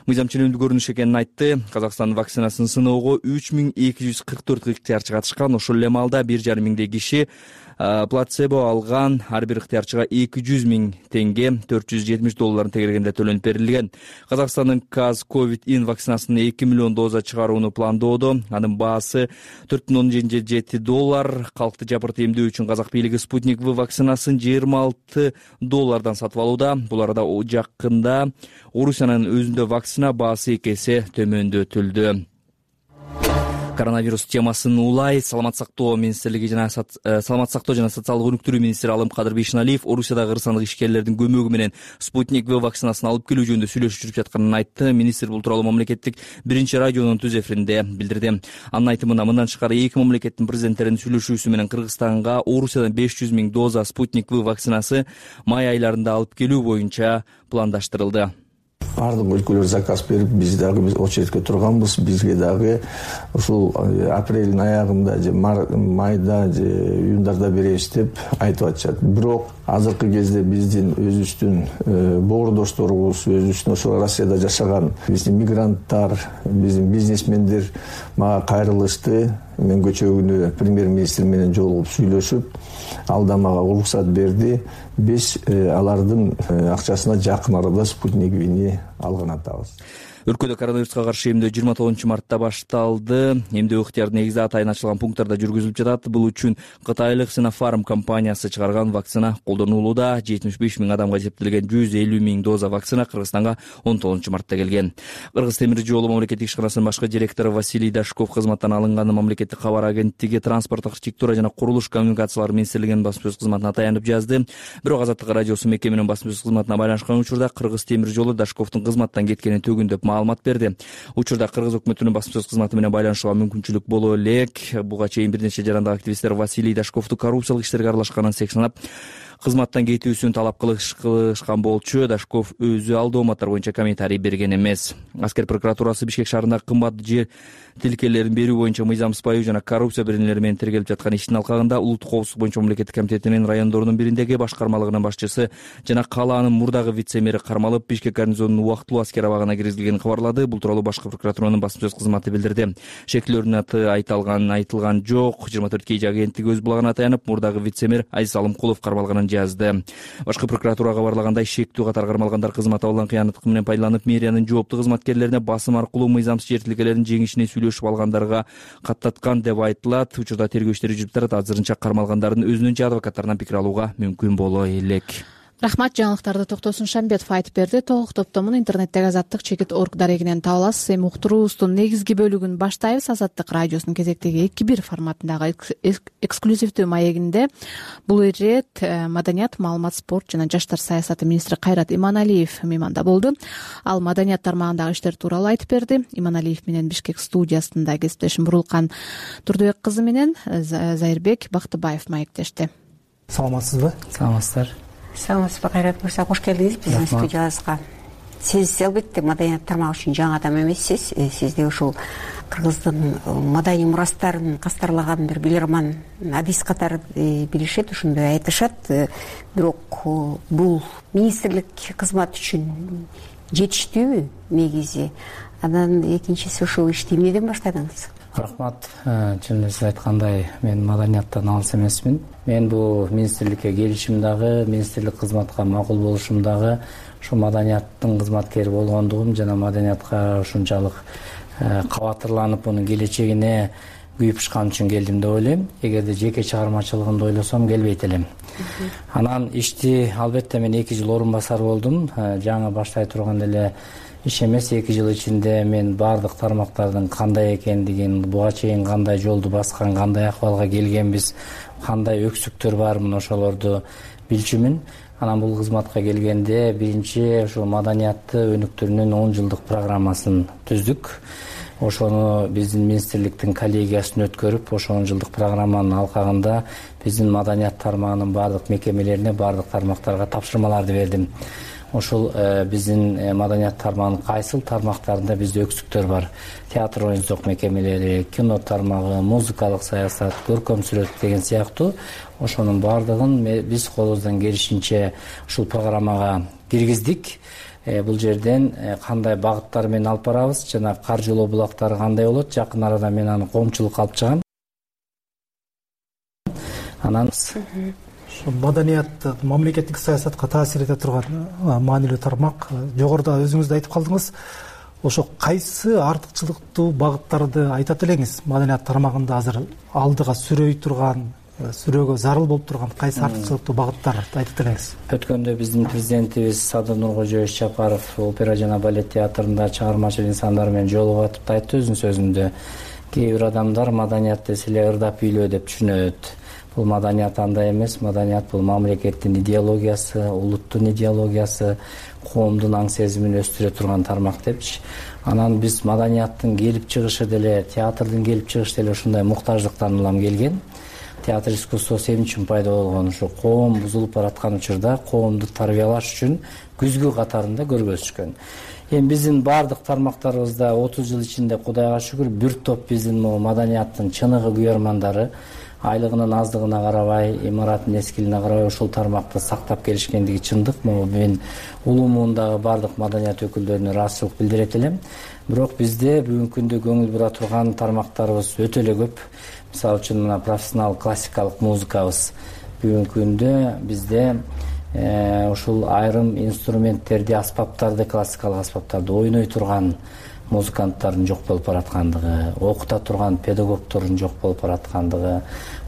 мыйзам ченемдүү көрүнүш экенин айтты. Казакстан вакцинасын сыноого үч миң эки жүз кырк төрт ыктыярчы катышкан. Ошол эле маалда бир жарым миңдей киши плацебо алган. Ар бир ыктыярчыга эки жүз миң теңге, төрт жүз жетимиш долларын тегергенде төлөнүп берилген. Казакстандын Казковид-ин вакцинасынын эки миллион доза чыгарууну пландоодо. Анын баасы төрт бүтүн ондон жети доллар. Калкты жапырт эмдөө үчүн казак бийлиги Спутник В вакцинасын жыйырма алты доллардан сатып алууда. Бул арада жакында Орусиянын өзүндө вакцина баасы эки эсе төмөндөтүлдү. Коронавирус темасын улай саламат сактоо министрлиги жана саламат сактоо жана социалдык өнүктүрүү министри Алым Кадыр Бейшеналиев Орусиядагы ырсандык ишкерлердин көмөгү менен Спутник В вакцинасын алып келүү жөнүндө сүйлөшүү жүрүп жатканын айтты. Министр бул тууралуу мамлекеттик биринчи радионун түз эфиринде билдирди. Анын айтымында мындан тышкары эки мамлекеттин президенттеринин сүйлөшүүсү менен Кыргызстанга Орусиядан беш жүз миң доза Спутник В вакцинасы май айларында алып келүү боюнча пландаштырылды. баардык өлкөлөр заказ берип, биз дагы очередке турганбыз. Бизге дагы ушул апрелдин аягында же майда же июндарда беребиз деп айтып атышат. Бирок азыркы кезде биздин өзүбүздүн боордошторубуз, өзүбүздүн ошол Россияда жашаган биздин мигранттар, биздин бизнесмендер мага кайрылышты. Мен көчө күнү премьер-министр менен жолугуп сүйлөшүп, ал да мага уруксат берди. Биз алардын акчасына жакын арада Спутник Вини алган атабыз. Өлкөдө коронавируска каршы эмдөө жыйырма тогузунчу мартта башталды. Эмдөө ыктыяры негизи атайын ачылган пункттарда жүргүзүлүп жатат. Бул үчүн Кытайлык Sinopharm компаниясы чыгарган вакцина колдонулууда. жетимиш беш миң адамга эсептелген жүз элүү миң доза вакцина Кыргызстанга он тогузунчу мартта келген. Кыргыз темир жолу мамлекеттик ишканасынын башкы директору Василий Дашков кызматтан алынганы мамлекеттик кабар агенттиги Транспорттук архитектура жана курулуш коммуникациялары министрлигинин басма сөз кызматына таянып жазды. Бирок Азаттык радиосу мекеменин басма сөз кызматына байланышкан учурда Кыргыз темир жолу Дашковдун кызматтан кеткенин төгүндөп маалымат берди. Учурда Кыргыз өкмөтүнүн басма сөз кызматы менен байланышууга мүмкүнчүлүк боло элек. Буга чейин бир нече жарандык активисттер Василий Дашковду коррупциялык иштерге аралашканын сынап кызматтан кетүүсүн талап кылышкан болчу. Дашков өзү ал дооматтар боюнча комментарий берген эмес. Аскер прокуратурасы Бишкек шаарындагы кымбат жер тилкелерин берүү боюнча мыйзам сыпайы жана коррупция беренелери менен тергелип жаткан иштин алкагында улуттук коопсуздук боюнча мамлекеттик комитетинин райондорунун бириндеги башкармалыгынын башчысы жана калаанын мурдагы вице-мэри кармалып, Бишкек гарнизонунун убактылуу аскер абагына киргизилгенин кабарлады. Бул тууралуу башкы прокуратуранын басма сөз кызматы билдирди. Шектүүлөрдүн аты айтылган айтылган жок. жыйырма төрт кей агенттиги өз булагына таянып, мурдагы вице-мэр Азиз Алымкулов кармалганын жазды. Башкы прокуратура кабарлагандай, шектүү катар кармалгандар кызмат абалдан кыянаттык менен пайдаланып, мэриянын жооптуу кызматкерлерине басым аркылуу мыйзамсыз жер тилкелерин жеңишине сүйлөшүп алгандарга каттаткан деп айтылат. Учурда тергөө иштери жүрүп жатат. Азырынча кармалгандардын өзүнүн же адвокаттарынан пикир алууга мүмкүн боло элек. Рахмат. Жаңылыктарды Токтосун Шамбетов айтып берди. Толук топтомун интернеттеги азаттык чекит орг дарегинен таба аласыз. Эми уктуруубуздун негизги бөлүгүн баштайбыз. Азаттык радиосунун кезектеги эки бир форматындагы эксклюзивдүү маегинде бул ирет маданият, маалымат, спорт жана жаштар саясаты министри Кайрат Иманалиев мейманда болду. Ал маданият тармагындагы иштер тууралуу айтып берди. Иманалиев менен Бишкек студиясында кесиптешим Бурулкан Турдубек кызы менен Зайырбек Бактыбаев маектешти. Саламатсызбы? Саламатсыздар. Саламатсызбы, Кайрат мырза, кош келдиңиз биздин студиябызга. Сиз албетте маданият тармагы үчүн жаңы адам эмессиз. Сизде ушул кыргыздын маданий мурастарын кастарлаган бир билирман адис катары билишет, ошондой айтышат. Бирок бул министрлик кызмат үчүн жетиштүүбү негизи? Анан экинчиси, ушул ишти эмнеден баштадыңыз? Рахмат. Чын эле сиз айткандай, мен маданияттан алыс эмесмин. Мен бул министрликке келишим дагы, министрлик кызматка макул болушум дагы ушу маданияттын кызматкери болгондугум жана маданиятка ушунчалык кабатырланып, мунун келечегине күйүп ушкан үчүн келдим деп ойлойм. Эгерде жеке чыгармачылыгымды ойлосом келбейт элем. Анан ишти албетте мен эки жыл орун басар болдум. Жаңы баштай турган эле иш эмес. Эки жыл ичинде мен баардык тармактардын кандай экендигин, буга чейин кандай жолду баскан, кандай акыбалга келгенбиз, кандай өксүктөр бар, мына ошолорду билчүмүн. Анан бул кызматка келгенде биринчи ошо маданиятты өнүктүрүүнүн он жылдык программасын түздүк. Ошону биздин министрликтин коллегиясын өткөрүп, ошо он жылдык программанын алкагында биздин маданият тармагынын баардык мекемелерине, баардык тармактарга тапшырмаларды бердим. Ошол биздин маданият тармагынын кайсыл тармактарында бизде өксүктөр бар. Театр оюнчук мекемелери, кино тармагы, музыкалык саясат, көркөм сүрөт деген сыяктуу ошонун баардыгын биз колубуздан келишинче ушул программага киргиздик. Бул жерден кандай багыттар менен алып барабыз жана каржылоо булактары кандай болот, жакын арада мен аны коомчулукка алып чыгам. Анан маданият мамлекеттик саясатка таасир эте турган маанилүү тармак. Жогоруда өзүңүз да айтып калдыңыз. Ошо кайсы артыкчылыктуу багыттарды айтат элеңиз? Маданият тармагында азыр алдыга сүрөй турган, сүрөөгө зарыл болуп турган кайсы артыкчылыктуу багыттарды айтат элеңиз? Өткөндө биздин президентибиз Садыр Нуркожоевич Жапаров опера жана балет театрында чыгармачыл инсандар менен жолугуп атып айтты өзүнүн сөзүндө. Кээ бир адамдар маданият десе эле ырдап бийлөө деп түшүнөт. Бул маданият андай эмес. Маданият бул мамлекеттин идеологиясы, улуттун идеологиясы, коомдун аң сезимин өстүрө турган тармак депчи. Анан биз маданияттын келип чыгышы деле, театрдын келип чыгышы деле ушундай муктаждыктан улам келген. театр искусствосу эмне үчүн пайда болгон? Ушу коом бузулуп бараткан учурда коомду тарбиялаш үчүн күзгү катарында көргөзүшкөн. Эми биздин баардык тармактарыбызда отуз жыл ичинде Кудайга шүгүр бир топ биздин могу маданияттын чыныгы күйөрмандары айлыгынын аздыгына карабай, имараттын эскилине карабай ушул тармакты сактап келишкендиги чындык. Могу мен улумундагы баардык маданият өкүлдөрүнө ыраазычылык билдирет элем. Бирок bizde бүгүнкү күндө көңүл бура турган тармактарыбыз өтө эле көп. Мисалы үчүн мына профессионал классикалык музыкабыз. Бүгүнкү күндө бизде ушул айрым инструменттерди, аспаптарды, классикалык аспаптарды ойной турган музыканттардын жок болуп бараткандыгы, окута турган педагогдордун жок болуп бараткандыгы,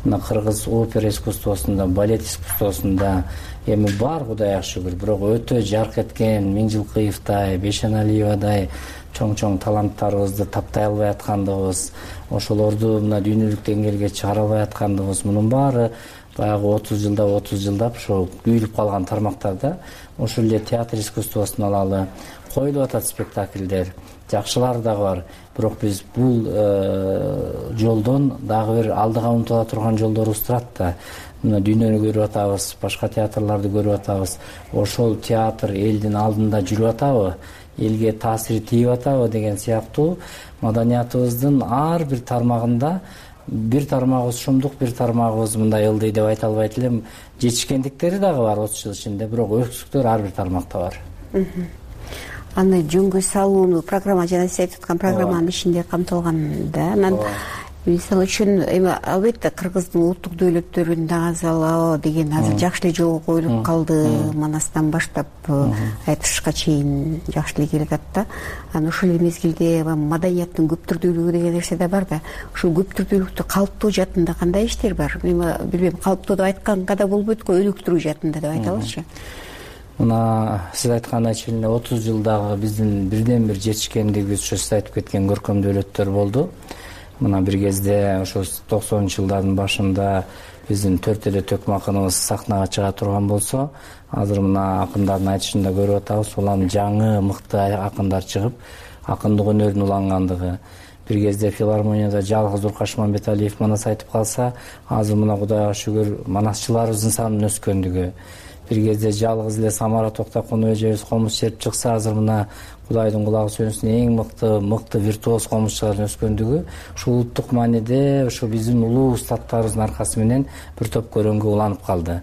мына кыргыз опера искусствосунда, балет искусствосунда эми бар, Кудайга шүгүр. Бирок өтө жарк эткен Миңжилкыевдай, Бейшеналиевадай чоң-чоң таланттарыбызды таптай албай аткандыгыбыз, ошолорду мына дүйнөлүк деңгээлге чыгара албай аткандыгыбыз, мунун баары баягы отуз жылда отуз жылдап ошо күйүлүп калган тармактарда. Ошол эле театр искусствосун алалы, коюлуп атат спектакльдер, жакшылары дагы бар. Бирок биз бул жолдон дагы бир алдыга умтула турган жолдорубуз турат да. Мына дүйнөнү көрүп атабыз, башка театрларды көрүп атабыз. Ошол театр элдин алдында жүрүп атабы, элге таасири тийип атабы деген сыяктуу маданиятыбыздын ар бир тармагында бир тармагыбыз шумдук, бир тармагыбыз мындай ылдый деп айта албайт элем. Жетишкендиктери дагы бар отуз жыл ичинде, бирок өксүктөр ар бир тармакта бар. Аны жөнгө салууну программа жана сиз айтып аткан программанын ичинде камтылган да. Анан мисалы үчүн эми албетте кыргыздын улуттук дөөлөттөрүн нагазалоо деген азыр жакшы эле жолго коюлуп калды. Манастан баштап айтышка чейин жакшы эле келе атат да. Анан ошол эле мезгилде маданияттын көп түрдүүлүгү деген нерсе да бар да. Ушул көп түрдүүлүктү калыптоо жаатында кандай иштер бар? Эми билбейм, калыптоо деп айтканга да болбойт го, өнүктүрүү жаатында деп айталычы. Мына сиз айткандай чейин эле отуз жылдагы биздин бирден бир жетишкендигибиз ушу сиз айтып кеткен көркөм дөөлөттөр болду. Мына бир кезде ошо токсонунчу жылдардын башында биздин төрт эле төкмө акыныбыз сахнага чыга турган болсо, азыр мына акындардын айтышында көрүп атабыз, улам жаңы мыкты акындар чыгып, акындык өнөрүн улангандыгы. Бир кезде филармонияда жалгыз Уркаш Мамбеталиев манас айтып калса, азыр мына Кудайга шүгүр манасчыларыбыздын санынын өскөндүгү. Бир кезде жалгыз эле Самара Токтокунов эжебиз комуз черип чыкса, азыр мына Кудайдын кулагы сөнсүн эң мыкты мыкты виртуоз комузчулардын өскөндүгү. Ушул улуттук мааниде ошо биздин улуу устаттарыбыздын аркасы менен бир топ көрөнгө уланып калды.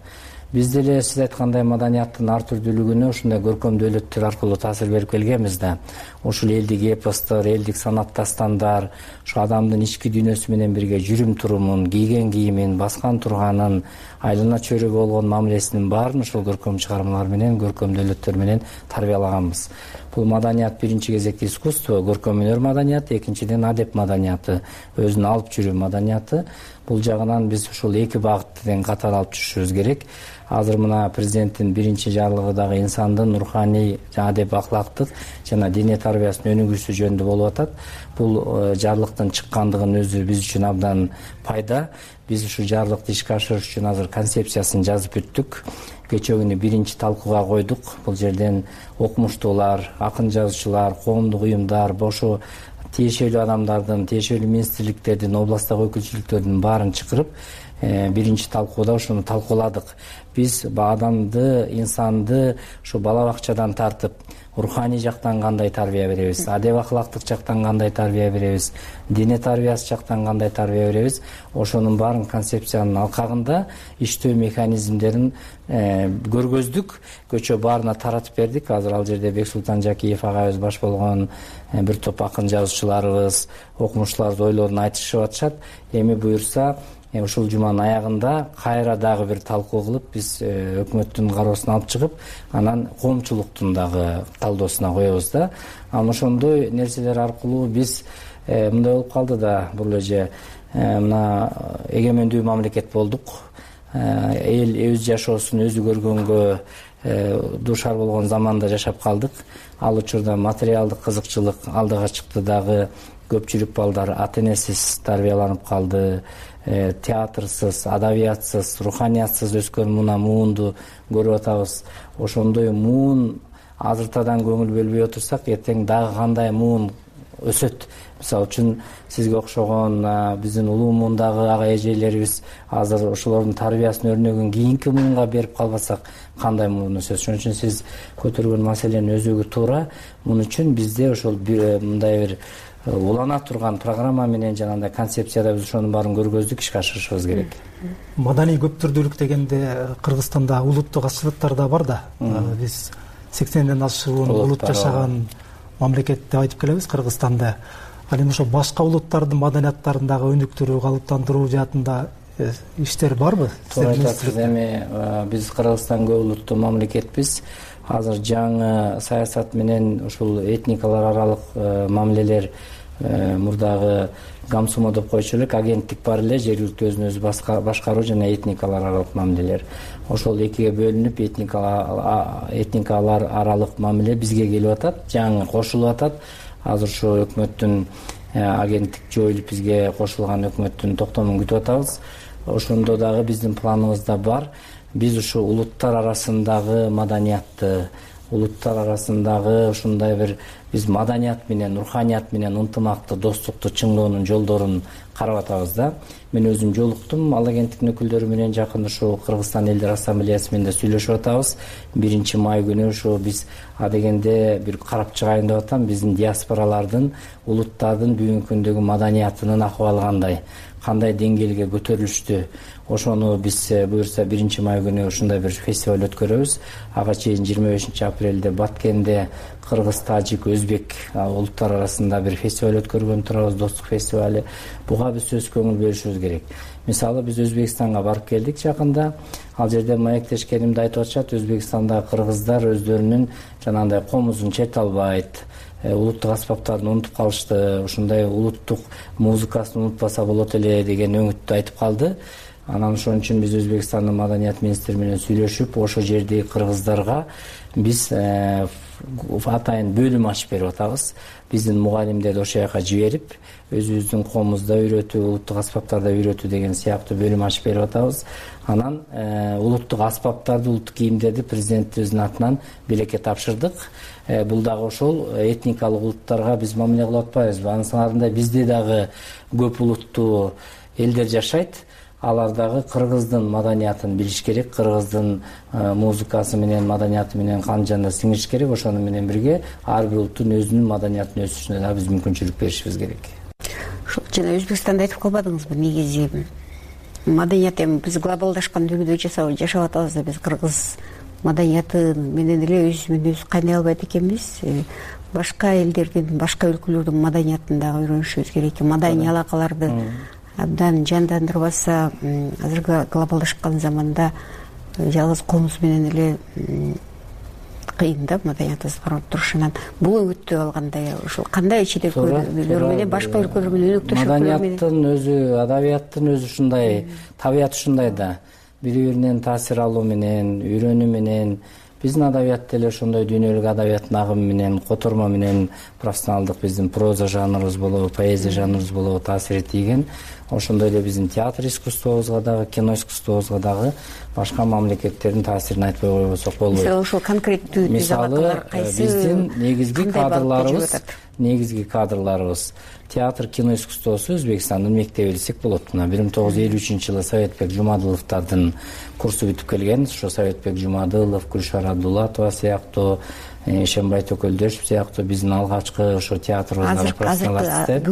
Биз деле сиз айткандай маданияттын ар түрдүүлүгүнө ушундай көркөм дөөлөттөр аркылуу таасир берип келгенбиз да. Ушул элдик эпостор, элдик санат дастандар, ушу адамдын ички дүйнөсү менен бирге жүрүм турумун, кийген кийимин, баскан турганын, айлана чөйрөгө болгон мамилесинин баарын ушул көркөм чыгармалар менен, көркөм дөөлөттөр менен тарбиялаганбыз. Бул маданият биринчи кезекте искусство, көркөм өнөр маданияты, экинчиден адеп маданияты, өзүн алып жүрүү маданияты. Бул жагынан биз ушул эки багытты тең катар алып жүрүшүбүз керек. Азыр мына президенттин биринчи жарлыгы дагы инсандын руханий, адеп аклактык жана диний тарбиясынын өнүгүүсү жөнүндө болуп атат. Бул жарлыктын чыккандыгынын өзү биз үчүн абдан пайда. Биз ушул жарлыкты ишке ашырыш үчүн азыр концепциясын жазып бүттүк. Кечээ күнү биринчи талкууга койдук. Бул жерден окумуштуулар, акын жазуучулар, коомдук уюмдар, бошу тиешелүү адамдардын, тиешелүү министрликтердин, областтагы өкүлчүлүктөрдүн баарын чакырып, биринчи талкууда ушуну талкууладык. Биз адамды, инсанды ушу бала бакчадан тартып, руханий жактан кандай тарбия беребиз, адеп аклактык жактан кандай тарбия беребиз, дине тарбиясы жактан кандай тарбия беребиз, ошонун баарын концепциянын алкагында иштөө механизмдерин көргөздүк. Көчө баарына таратып бердик. Азыр ал жерде Бексултан Жакиев агайыбыз баш болгон бир топ акын жазуучуларыбыз, окумуштууларыбыз ойлорун айтышып атышат. Эми буюрса ушул жуманын аягында кайра дагы бир талкуу кылып, биз өкмөттүн кароосуна алып чыгып, анан коомчулуктун дагы талдоосуна коебуз да. Анан ошондой нерселер аркылуу биз мындай болуп калды да, бул эже мына эгемендүү мамлекет болдук. Эл өз жашоосун өзү көргөнгө дуушар болгон заманда жашап калдык. Ал учурда материалдык кызыкчылык алдыга чыкты дагы, көпчүлүк балдар ата энесиз тарбияланып калды. Театрсыз, адабиятсыз, руханиятсыз өскөн мына муунду көрүп атабыз. Ошондой муун азыртадан көңүл бөлбөй отурсак, эртең дагы кандай муун өсөт. мисалы үчүн сизге окшогон биздин улуу муундагы ага эжелерибиз азыр ошолордун тарбиясын өрнөгүн кийинки муунга берип калбасак кандай муун өсөт. Ошон үчүн сиз көтөргөн маселенин өзөгү туура. Муну үчүн бизде ошол мындай бир улана турган программа менен жанагындай концепцияда биз ошонун баарын көргөздүк, ишке ашырышыбыз керек. Маданий көптүрдүүлүк дегенде Кыргызстанда улуттук азчылыктар да бар да. Биз сексенден ашуун улут жашаган мамлекет деп айтып келебиз Кыргызстанда. Ал эми ошо башка улуттардын маданияттарындагы өнүктүрүү, калыптандыруу жаатында иштер барбы? Туура айтасыз. Эми биз Кыргызстан көп улуттуу мамлекетпиз. Азыр жаңы саясат менен ушул этникалар аралык мамилелер мурдагы гамсумо деп койчу элек агенттик бар эле, жергиликтүү өзүн өзү башкаруу жана этникалар аралык мамилелер. Ошол экиге бөлүнүп этникалар аралык мамиле бизге келип атат, жаңы кошулуп атат. Азыр ушу өкмөттүн агенттик жоюлуп бизге кошулган өкмөттүн токтомун күтүп атабыз. Ошондо дагы биздин планыбызда бар. Биз ушу улуттар арасындагы маданиятты, улуттар арасындагы ушундай бир биз маданият менен, руханият менен ынтымакты, достукту чыңдоонун жолдорун карап атабыз да. Мен өзүм жолуктум ал агенттиктин өкүлдөрү менен, жакында ушу Кыргызстан элдер ассамблеясы менен да сүйлөшүп атабыз. биринчи май күнү ушу биз адегенде бир карап чыгайын деп атам, биздин диаспоралардын, улуттардын бүгүнкү күндөгү маданиятынын акыбалы кандай, кандай деңгээлге көтөрүлүштү. Ошону биз буюрса биринчи май күнү ушундай бир фестиваль өткөрөбүз. Ага чейин жыйырма бешинчи апрелде Баткенде кыргыз, тажик, өзбек улуттар арасында бир фестиваль өткөргөн турабыз, достук фестивали. Буга биз сөз көңүл бөлүшүбүз керек. Мисалы биз Өзбекстанга барып келдик жакында. Ал жерде маектешкенимде айтып атышат, Өзбекстанда кыргыздар өздөрүнүн жанагындай комузун черте албайт, улуттук аспаптарын унутуп калышты, ушундай улуттук музыкасын унутпаса болот эле деген өңүттү айтып калды. Анан ошон үчүн биз Өзбекстандын маданият министри менен сүйлөшүп, ошо жердеги кыргыздарга биз атайын бөлүм ачып берип атабыз. Биздин мугалимдерди ошол жака жиберип, өзүбүздүн коомузда үйрөтүү, улуттук аспаптарда үйрөтүү деген сыяктуу бөлүм ачып берип атабыз. Анан улуттук аспаптарды, улуттук кийимдерди президентибиздин атынан билекке тапшырдык. Бул дагы ошол этникалык улуттарга биз мамиле кылып атпайбызбы? Анысында бизде дагы көп улуттуу элдер жашайт. Алар дагы кыргыздын маданиятын билиш керек, кыргыздын музыкасы менен, маданияты менен кан жанда сиңириш керек. Ошону менен бирге ар бир улуттун өзүнүн маданиятын өсүшүнө да биз мүмкүнчүлүк беришибиз керек. Ошол жана Өзбекстанда айтып калбадыңызбы, негизи маданият эми биз глобалдашкан дүйнөдө жашап атабыз да, биз кыргыз маданияты менен эле өзүбүз өзү кайнай албайт экенбиз. Башка элдердин, башка өлкөлөрдүн маданиятын дагы үйрөнүшүбүз керек. Маданий алакаларды абдан жандандырбаса, азыркы глобалдашкан заманда жалгыз комуз менен эле кыйын да маданиятыбызды кармап туруш. Анан бул өңүттү алгандай, ошол кандай чет өлкөлөр менен, башка өлкөлөр менен өнөктөш маданияттын өзү, адабияттын өзү ушундай, табияты ушундай да. Бири-биринен таасир алуу менен, үйрөнүү менен, биздин адабият деле ошондой дүйнөлүк адабияттын агымы менен, котормо менен профессионалдык биздин проза жанрыбыз болобу, поэзия жанрыбыз болобу таасир тийген. Ошондой эле биздин театр искусствобузга дагы, кино искусствобузга дагы башка мамлекеттердин таасирин айтпай койбосок болбойт. Мисалы ошол конкреттүү мисалы биздин негизги кадрларыбыз, негизги кадрларыбыз театр, кино искусствосу Өзбекстандын мектеби десек болот. Мына бир миң тогуз жүз элүү үчүнчү жылы Советбек Жумадыловдордун курсу бүтүп келген. Ошо Советбек Жумадылов, Гүлшара Абдулатова сыяктуу, Ишембай Төкөлдөшев сыяктуу биздин алгачкы ошо театрыбызга профессионалдарды.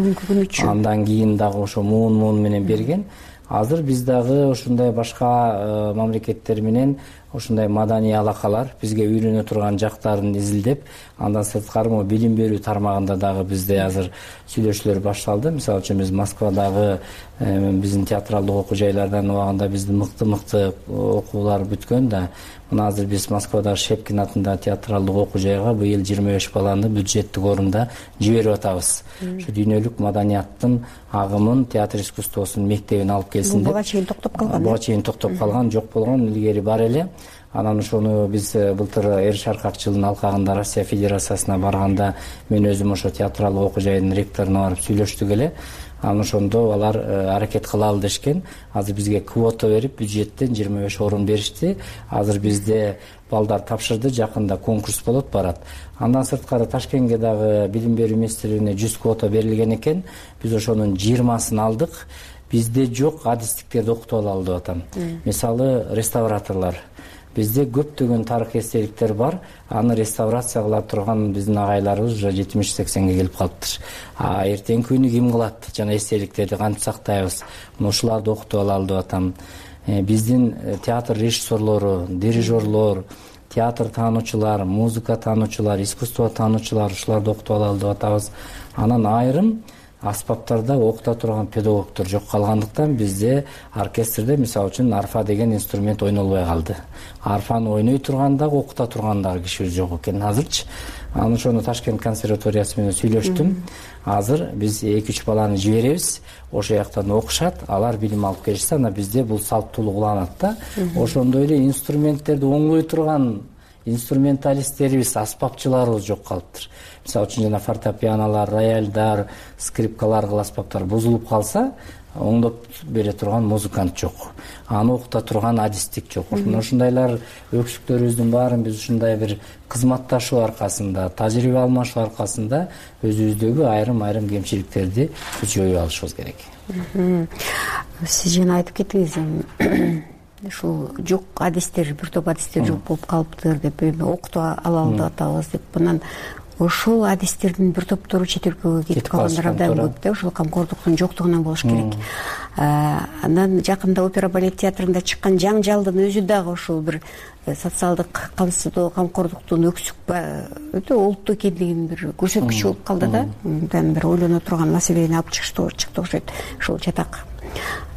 Андан кийин дагы ошо муун-муун менен берген. Азыр биз дагы ушундай башка мамлекеттер менен ушундай маданий алакалар, бизге үйрөнө турган жактарын изилдеп, андан сырткары могу билим берүү тармагында дагы бизде азыр сүйлөшүүлөр башталды. Мисалы үчүн биз Москвадагы биздин театралдык окуу жайлардан убагында биздин мыкты-мыкты окуулар бүткөн да. Мына азыр биз Москвадагы Шепкин атындагы театралдык окуу жайга быйыл жыйырма беш баланы бюджеттик орунда жиберип атабыз. Ушу дүйнөлүк маданияттын агымын, театр искусствосунун мектебин алып келсин деп. Буга чейин токтоп калган. Буга чейин токтоп калган, жок болгон, илгери бар эле. Анан ошону биз былтыр Эр Шаркак жылдын алкагында Россия Федерациясына барганда мен өзүм ошо театралдык окуу жайынын ректоруна барып сүйлөштүк эле. анан ошондо алар аракет кылалы дешкен. Азыр бизге квота берип бюджеттен жыйырма беш орун беришти. Азыр бизде балдар тапшырды, жакында конкурс болот, барат. Андан сырткары Ташкентке дагы билим берүү министрлигине жүз квота берилген экен. Биз ошонун жыйырмасын алдык. Бизде жок адистиктерди окутуп алалы деп атам. Мисалы реставраторлор. Бизде көптөгөн тарых эстеликтер бар. Аны реставрация кыла турган биздин агайларыбыз уже жетимиш сексенге келип калыптыр. А эртеңки күнү ким кылат? Жана эстеликтерди кантип сактайбыз? Мына ушуларды окутуп алалы деп атам. Биздин театр режиссерлору, дирижерлор, театр таануучулар, музыка таануучулар, искусство таануучулар ушуларды окутуп алалы деп атабыз. Анан айрым аспаптарда окута турган педагогдор жок калгандыктан бизде оркестрде мисалы үчүн арфа деген инструмент ойнолбой калды. Арфаны ойной турган дагы окута турган дагы кишибиз жок экен азырчы. Анан ошону Ташкент консерваториясы менен сүйлөштүм. Азыр биз эки үч баланы жиберебиз, ошол жактан окушат, алар билим алып келишсе, анан бизде бул салттуулук уланат да. Ошондой эле инструменттерди оңдой турган инструменталисттерибиз, аспапчыларыбыз жок калыптыр. Мисалы үчүн жана фортепианолор, рояльдар, скрипкалар кыл аспаптар бузулуп калса, оңдоп бере турган музыкант жок. Аны окута турган адистик жок. Ошондайлар өксүктөрүбүздүн баарын биз ушундай бир кызматташуу аркасында, тажрыйба алмашуу аркасында өзүбүздөгү айрым-айрым кемчиликтерди жойуп алышыбыз керек. Сиз жана айтып кеттиңиз, ушул жок адистер, бир топ адистер жок болуп калыптыр деп, окутуп алалы деп атабыз деп. Мындан ошол адистердин бир топтору чет өлкөгө кетип калгандар абдан көп да, ошол камкордуктун жоктугунан болуш керек. Андан жакында опера балет театрында чыккан жаңжалдын өзү дагы ошол бир социалдык камсыздоо, камкордуктун өксүк өтө олуттуу экендигинин бир көрсөткүчү болуп калды да. Мындан бир ойлоно турган маселени алып чыкты окшойт ушул жатак.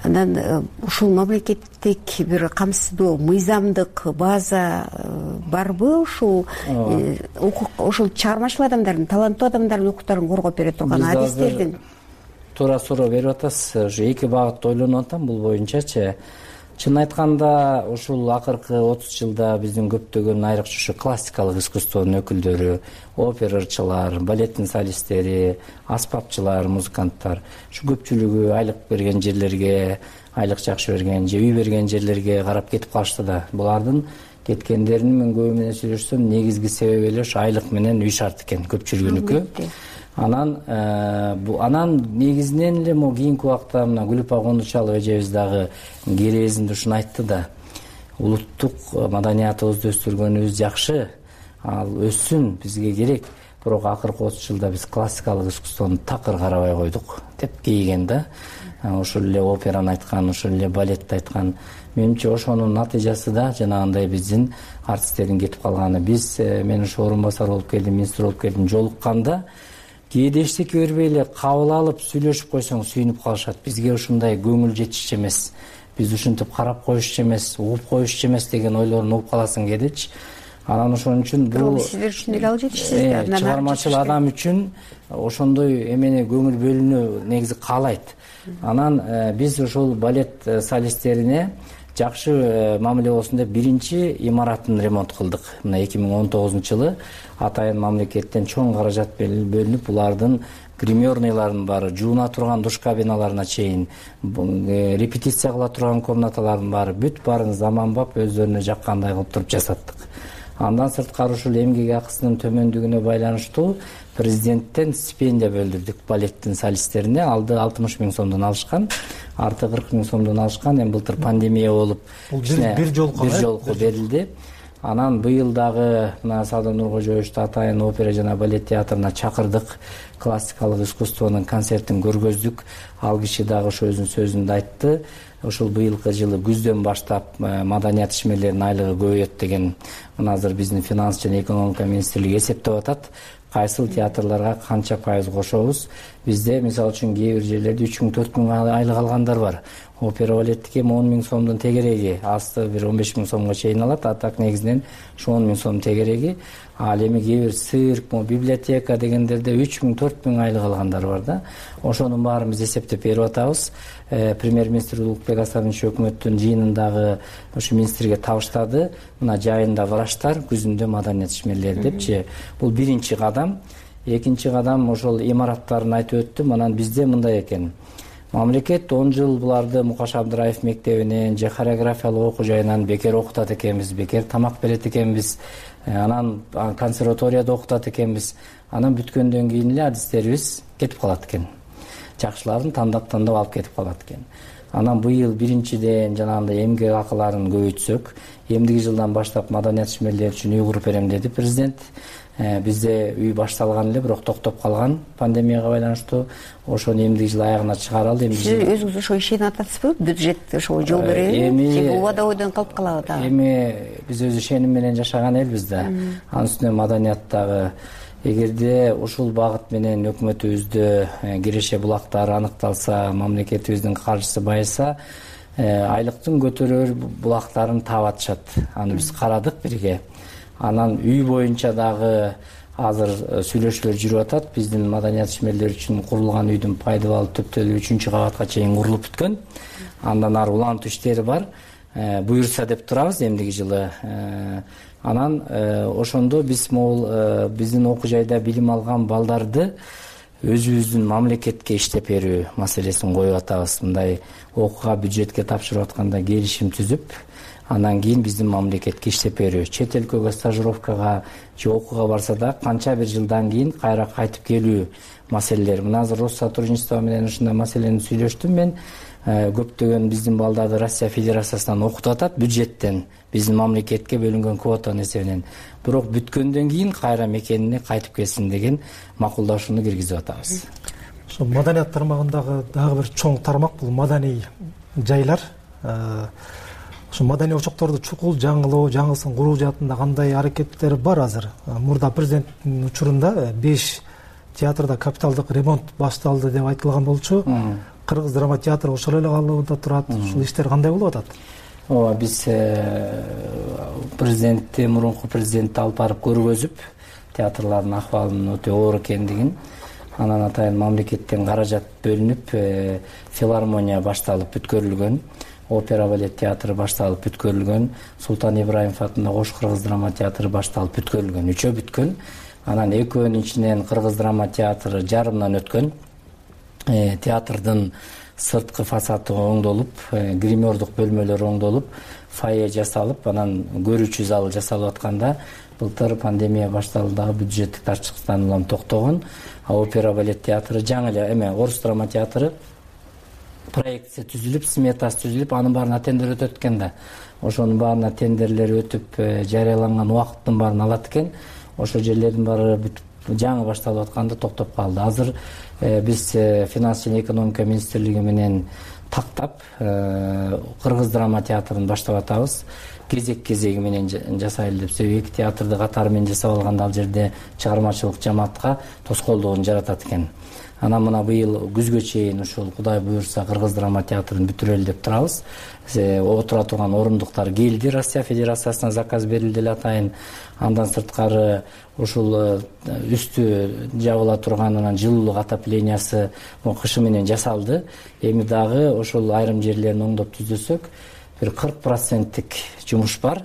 Анан ушул мамлекеттик бир камсыздоо, мыйзамдык база барбы ушул ошол чыгармачыл адамдардын, таланттуу адамдардын укуктарын коргоп бере турган адистердин? Туура суроо берип атасыз. Ушу эки багытта ойлонуп атам бул боюнчачы. Чын айтканда ушул акыркы отуз жылда биздин көптөгөн айрыкча ушу классикалык искусствонун өкүлдөрү, операчылар, балеттин солисттери, аспапчылар, музыканттар ушу көпчүлүгү айлык берген жерлерге, айлык жакшы берген же үй берген жерлерге карап кетип калышты да. Булардын кеткендеринин мен көбү менен сүйлөшсөм, негизги себеби эле ушу айлык менен үй шарт экен көпчүлүгүнүкү. Анан бу анан негизинен эле могу кийинки убакта мына Гүлүпа Кондучалова эжебиз дагы керээзинде ушуну айтты да. Улуттук маданиятыбызды өстүргөнүбүз жакшы, ал өссүн, бизге керек. Бирок акыркы отуз жылда биз классикалык искусствону такыр карабай койдук деп кейген да. Ошол эле операны айткан, ошол эле балетти айткан. Менимче ошонун натыйжасы да жанагындай биздин артисттердин кетип калганы. Биз мен ушу орун басар болуп келдим, министр болуп келдим, жолукканда кээде эчтеке бербей эле кабыл алып сүйлөшүп койсоң сүйүнүп калышат. Бизге ушундай көңүл жетишчү эмес, биз ушинтип карап коюшчу эмес, угуп коюшчу эмес деген ойлорун угуп каласың кээдечи. Анан ошон үчүн бул сиздер үчүн деле алып жетишсиз да. Чыгармачыл адам үчүн ошондой эмени көңүл бөлүүнү негизи каалайт. Анан биз ошол балет солисттерине жакшы мамиле болсун деп биринчи имаратын ремонт кылдык. Мына эки миң он тогузунчу жылы атайын мамлекеттен чоң каражат бөлүнүп, булардын гримерныйлардын баары, жууна турган душ кабиналарына чейин, репетиция кыла турган комнаталардын баары бүт баарын заманбап өздөрүнө жаккандай кылып туруп жасаттык. Андан сырткары ушул эмгек акысынын төмөндүгүнө байланыштуу президенттен стипендия бөлдүрдүк балеттин солисттерине. Алды алтымыш миң сомдон алышкан, арты кырк миң сомдон алышкан. Эми былтыр пандемия болуп бир жолку бир жолку берилди. Анан быйыл дагы мына Саадат Нуркожоевичти атайын опера жана балет театрына чакырдык. Классикалык искусствонун концертин көргөздүк. Ал киши дагы ошо өзүнүн сөзүндө айтты. Ушул быйылкы жылы күздөн баштап маданият ишмерлеринин айлыгы көбөйөт деген мына азыр биздин финанс жана экономика министрлиги эсептеп атат. Кайсыл театрларга канча пайыз кошобуз? Бизде мисалы үчүн кээ бир жерлерде үч миң төрт миң айлык алгандар бар. Опера балеттики эми он миң сомдун тегереги, асты бир он беш миң сомго чейин алат. А так негизинен ушу он миң сом тегереги. Ал эми кээ бир цирк, библиотека дегендерде үч миң төрт миң айлык алгандар бар да. Ошонун баарын биз эсептеп берип атабыз. Премьер-министр Улукбек Асарович өкмөттүн жыйынындагы ушу министрге табыштады. Мына жайында врачтар, күзүндө маданият ишмерлери депчи. Бул биринчи кадам. экинчи кадам ошол имараттарын айтып өттүм. Анан бизде мындай экен. Мамлекет он жыл буларды Мукаш Абдыраев мектебинен же хореографиялык окуу жайынан бекер окутат экенбиз, бекер тамак берет экенбиз, анан консерваторияда окутат экенбиз. Анан бүткөндөн кийин эле адистерибиз кетип калат экен. Жакшыларын тандап тандап алып кетип калат экен. Анан быйыл биринчиден жанагындай эмгек акыларын көбөйтсөк, эмдиги жылдан баштап маданият ишмерлери үчүн үй куруп берем деди президент. Бизде үй башталган эле, бирок токтоп калган пандемияга байланыштуу. Ошону эмдиги жыл аягына чыгаралы. Сиз өзүңүз ошо ишенип атасызбы? Бюджет ошо жол береби? Же бул убада ойдон калып калабы дагы? Эми биз өз ишеним менен жашаган элбиз да. Анын үстүнө маданияттагы эгерде ушул багыт менен өкмөтүбүздө киреше булактары аныкталса, мамлекетибиздин каржысы байыса, айлыктын көтөрөр булактарын таап атышат. Аны биз карадык бирге. Анан үй боюнча дагы азыр сүйлөшүүлөр жүрүп атат. Биздин маданият ишмерлери үчүн курулган үйдүн пайдалуу төптөлү үчүнчү кабатка чейин курулуп бүткөн. Андан ары улантуу иштери бар. Буюрса деп турабыз эмдиги жылы. Анан ошондо биз могул биздин окуу жайда билим алган балдарды өзүбүздүн мамлекетке иштеп берүү маселесин коюп атабыз. Мындай окууга бюджетке тапшырып атканда келишим түзүп, андан кийин биздин мамлекетке иштеп берүү. Чет өлкөгө стажировкага же окууга барса да канча бир жылдан кийин кайра кайтып келүү маселелери. Мына азыр Россотрудничество менен ушундай маселени сүйлөштүм мен. Көптөгөн биздин балдарды Россия Федерациясынан окутуп атат бюджеттен, биздин мамлекетке бөлүнгөн квотанын эсебинен. Бирок бүткөндөн кийин кайра мекенине кайтып келсин деген макулдашууну киргизип атабыз. Ошо маданият тармагындагы дагы бир чоң тармак бул маданий жайлар. Ошо маданий очокторду чукул жаңылоо, жаңылсын куруу жаатында кандай аракеттер бар азыр? Мурда президенттин учурунда беш театрда капиталдык ремонт башталды деп айтылган болчу. Кыргыз драма театры ошол эле калыбында турат. Ушул иштер кандай болуп атат? Ооба, биз президентти, мурунку президентти алып барып көргөзүп, театрлардын акыбалынын өтө оор экендигин, анан атайын мамлекеттен каражат бөлүнүп, филармония башталып бүткөрүлгөн, опера балет театры башталып бүткөрүлгөн, Султан Ибраимов атындагы Ош кыргыз драма театры башталып бүткөрүлгөн, үчөө бүткөн. Анан экөөнүн ичинен кыргыз драма театры жарымдан өткөн. Театрдын сырткы фасады оңдолуп, гримердук бөлмөлөрү оңдолуп, фойе жасалып, анан көрүүчү зал жасалып атканда былтыр пандемия башталдагы бюджеттик тартчылыктан улам токтогон. Опера балет театры жаңы эле эме Орус драма театры проекция түзүлүп, сметасы түзүлүп, анын баарына тендер өтөт экен да. Ошонун баарына тендерлер өтүп, жарыяланган убакыттын баарын алат экен. Ошол жерлердин баары жаңы башталып атканда токтоп калды. Азыр биз финанс жана экономика министрлиги менен тактап кыргыз драма театрын баштап атабыз. Кезек-кезеги менен жасайлы деп. Себеби эки театрды катары менен жасап алганда ал жерде чыгармачылык жамаатка тоскоолдугун жаратат экен. Анан мына быйыл күзгө чейин ушул Кудай буюрса кыргыз драма театрын бүтүрөлү деп турабыз. Отура турган орундуктар келди, Россия Федерациясына заказ берилди эле атайын. Андан сырткары ушул үстү жабыла турган анан жылуулук отоплениясы кышы менен жасалды. Эми дагы ошол айрым жерлерин оңдоп түзөсөк, бир кырк проценттик жумуш бар.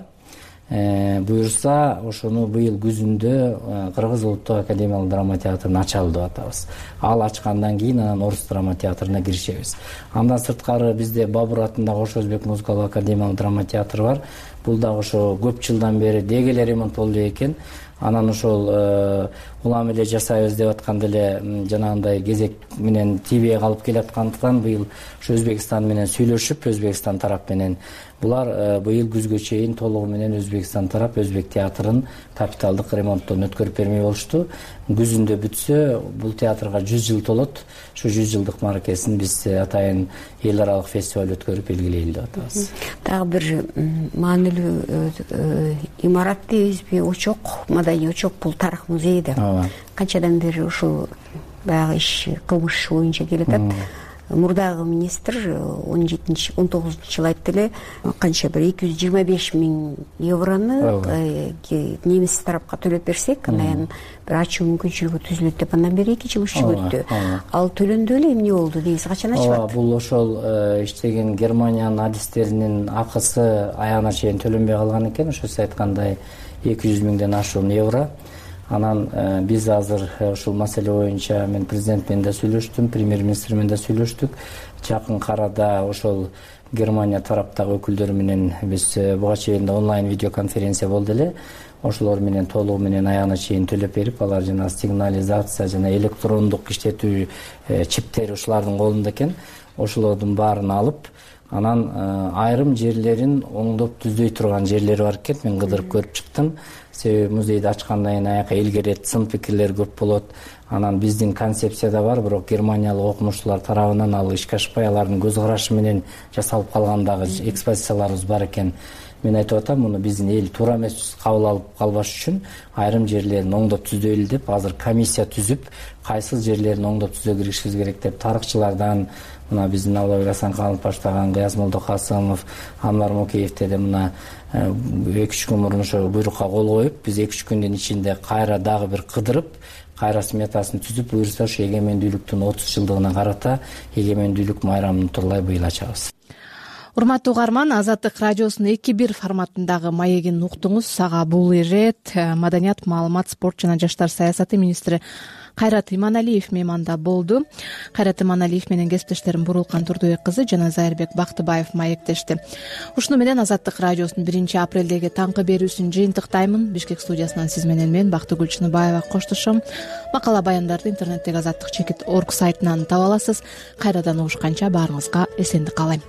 Буюрса ошону быйыл күзүндө Кыргыз улуттук академиялык драма театрын ачалы деп атабыз. Ал ачкандан кийин анан Орус драма театрына киришебиз. Андан сырткары бизде Бабур атындагы Ош Өзбек музыкалык академиялык драма театры бар. Бул дагы ошо көп жылдан бери деги эле ремонт болду экен. Анан ошол улам эле жасайбыз деп атканда эле жанагындай кезек менен тийбей калып келаткандыктан быйыл ошо Өзбекстан менен сүйлөшүп, Өзбекстан тарап менен булар быйыл күзгө чейин толугу менен Өзбекстан тарап Өзбек театрын капиталдык ремонттон өткөрүп бермей болушту. Күзүндө бүтсө, бул театрга жүз жыл толот. Ошо жүз жылдык мааракесин биз атайын эл аралык фестиваль өткөрүп белгилейли деп атабыз. Дагы бир маанилүү имарат дейбизби, очок, маданий очок, бул тарых музейи да. Канчадан бери ушул баягы иш, кылмыш боюнча келатат. Мурдагы министр он жетинчи он тогузунчу жылы айтты эле, канча бир эки жүз жыйырма беш миң еврону немис тарапка төлөп берсек, анан бир ачуу мүмкүнчүлүгү түзүлөт деп андан бери эки жыл иши өттү. Ал төлөндү эле эмне болду дейсиз, качан ачылат? Бул ошол иштеген Германиянын адистеринин акысы аягына чейин төлөнбөй калган экен. Ошо сиз айткандай эки жүз миңден ашуун евро. анан биз азыр ушул маселе боюнча мен президент менен да сүйлөштүм, премьер министр менен да сүйлөштүк. Жакын арада ошол Германия тараптагы өкүлдөр менен биз буга чейин онлайн видеоконференция болду эле. Ошолор менен толугу менен аягына чейин төлөп берип, алар жана сигнализация жана электрондук иштетүү чиптери ушулардын колунда экен. Ошолордун баарын алып, анан айрым жерлерин оңдоп түздөй турган жерлери бар экен. Мен кыдырып көрүп чыктым. Себеби музейди ачкандан кийин аяка илгерет, сын пикирлер көп болот. Анан биздин концепцияда бар, бирок германиялык окумуштуулар тарабынан ал ишке ашпай, алардын көз карашы менен жасалып калгандагы экспозицияларыбыз бар экен. Мен айтып атам, муну биздин эл туура эмес кабыл алып калбаш үчүн айрым жерлерин оңдоп түздөйлү деп азыр комиссия түзүп, кайсы жерлерин оңдоп түзөө киришибиз керек деп тарыхчылардан, мына биздин Албек Асанкалов баштаган Гыяз Молдокасымов, Анвар Мокеевте де мына эки үч күн мурун ошо буйрукка кол коюп, биз эки үч күндүн ичинде кайра дагы бир кыдырып, кайра сметасын түзүп, буюрса ошо эгемендүүлүктүн отуз жылдыгына карата эгемендүүлүк майрамын турлай быйыл ачабыз. Урматтуу угарман, Азаттык радиосунун эки бир форматындагы маегин уктуңуз. Сага бул ирет маданият, маалымат, спорт жана жаштар саясаты министри Кайрат Иманалиев мейманда болду. Кайрат Иманалиев менен кесиптештерим Бурулкан Турдубек кызы жана Зайырбек Бактыбаев маектешти. Ушуну менен Азаттык радиосунун биринчи апрелдеги таңкы берүүсүн жыйынтыктаймын. Бишкек студиясынан сиз менен мен Бактыгүл Чыныбаева коштошом. Макала баяндарды интернеттеги азаттык чекит точка орг сайтынан таба аласыз. Кайрадан угушканча баарыңызга эсендик каалайм.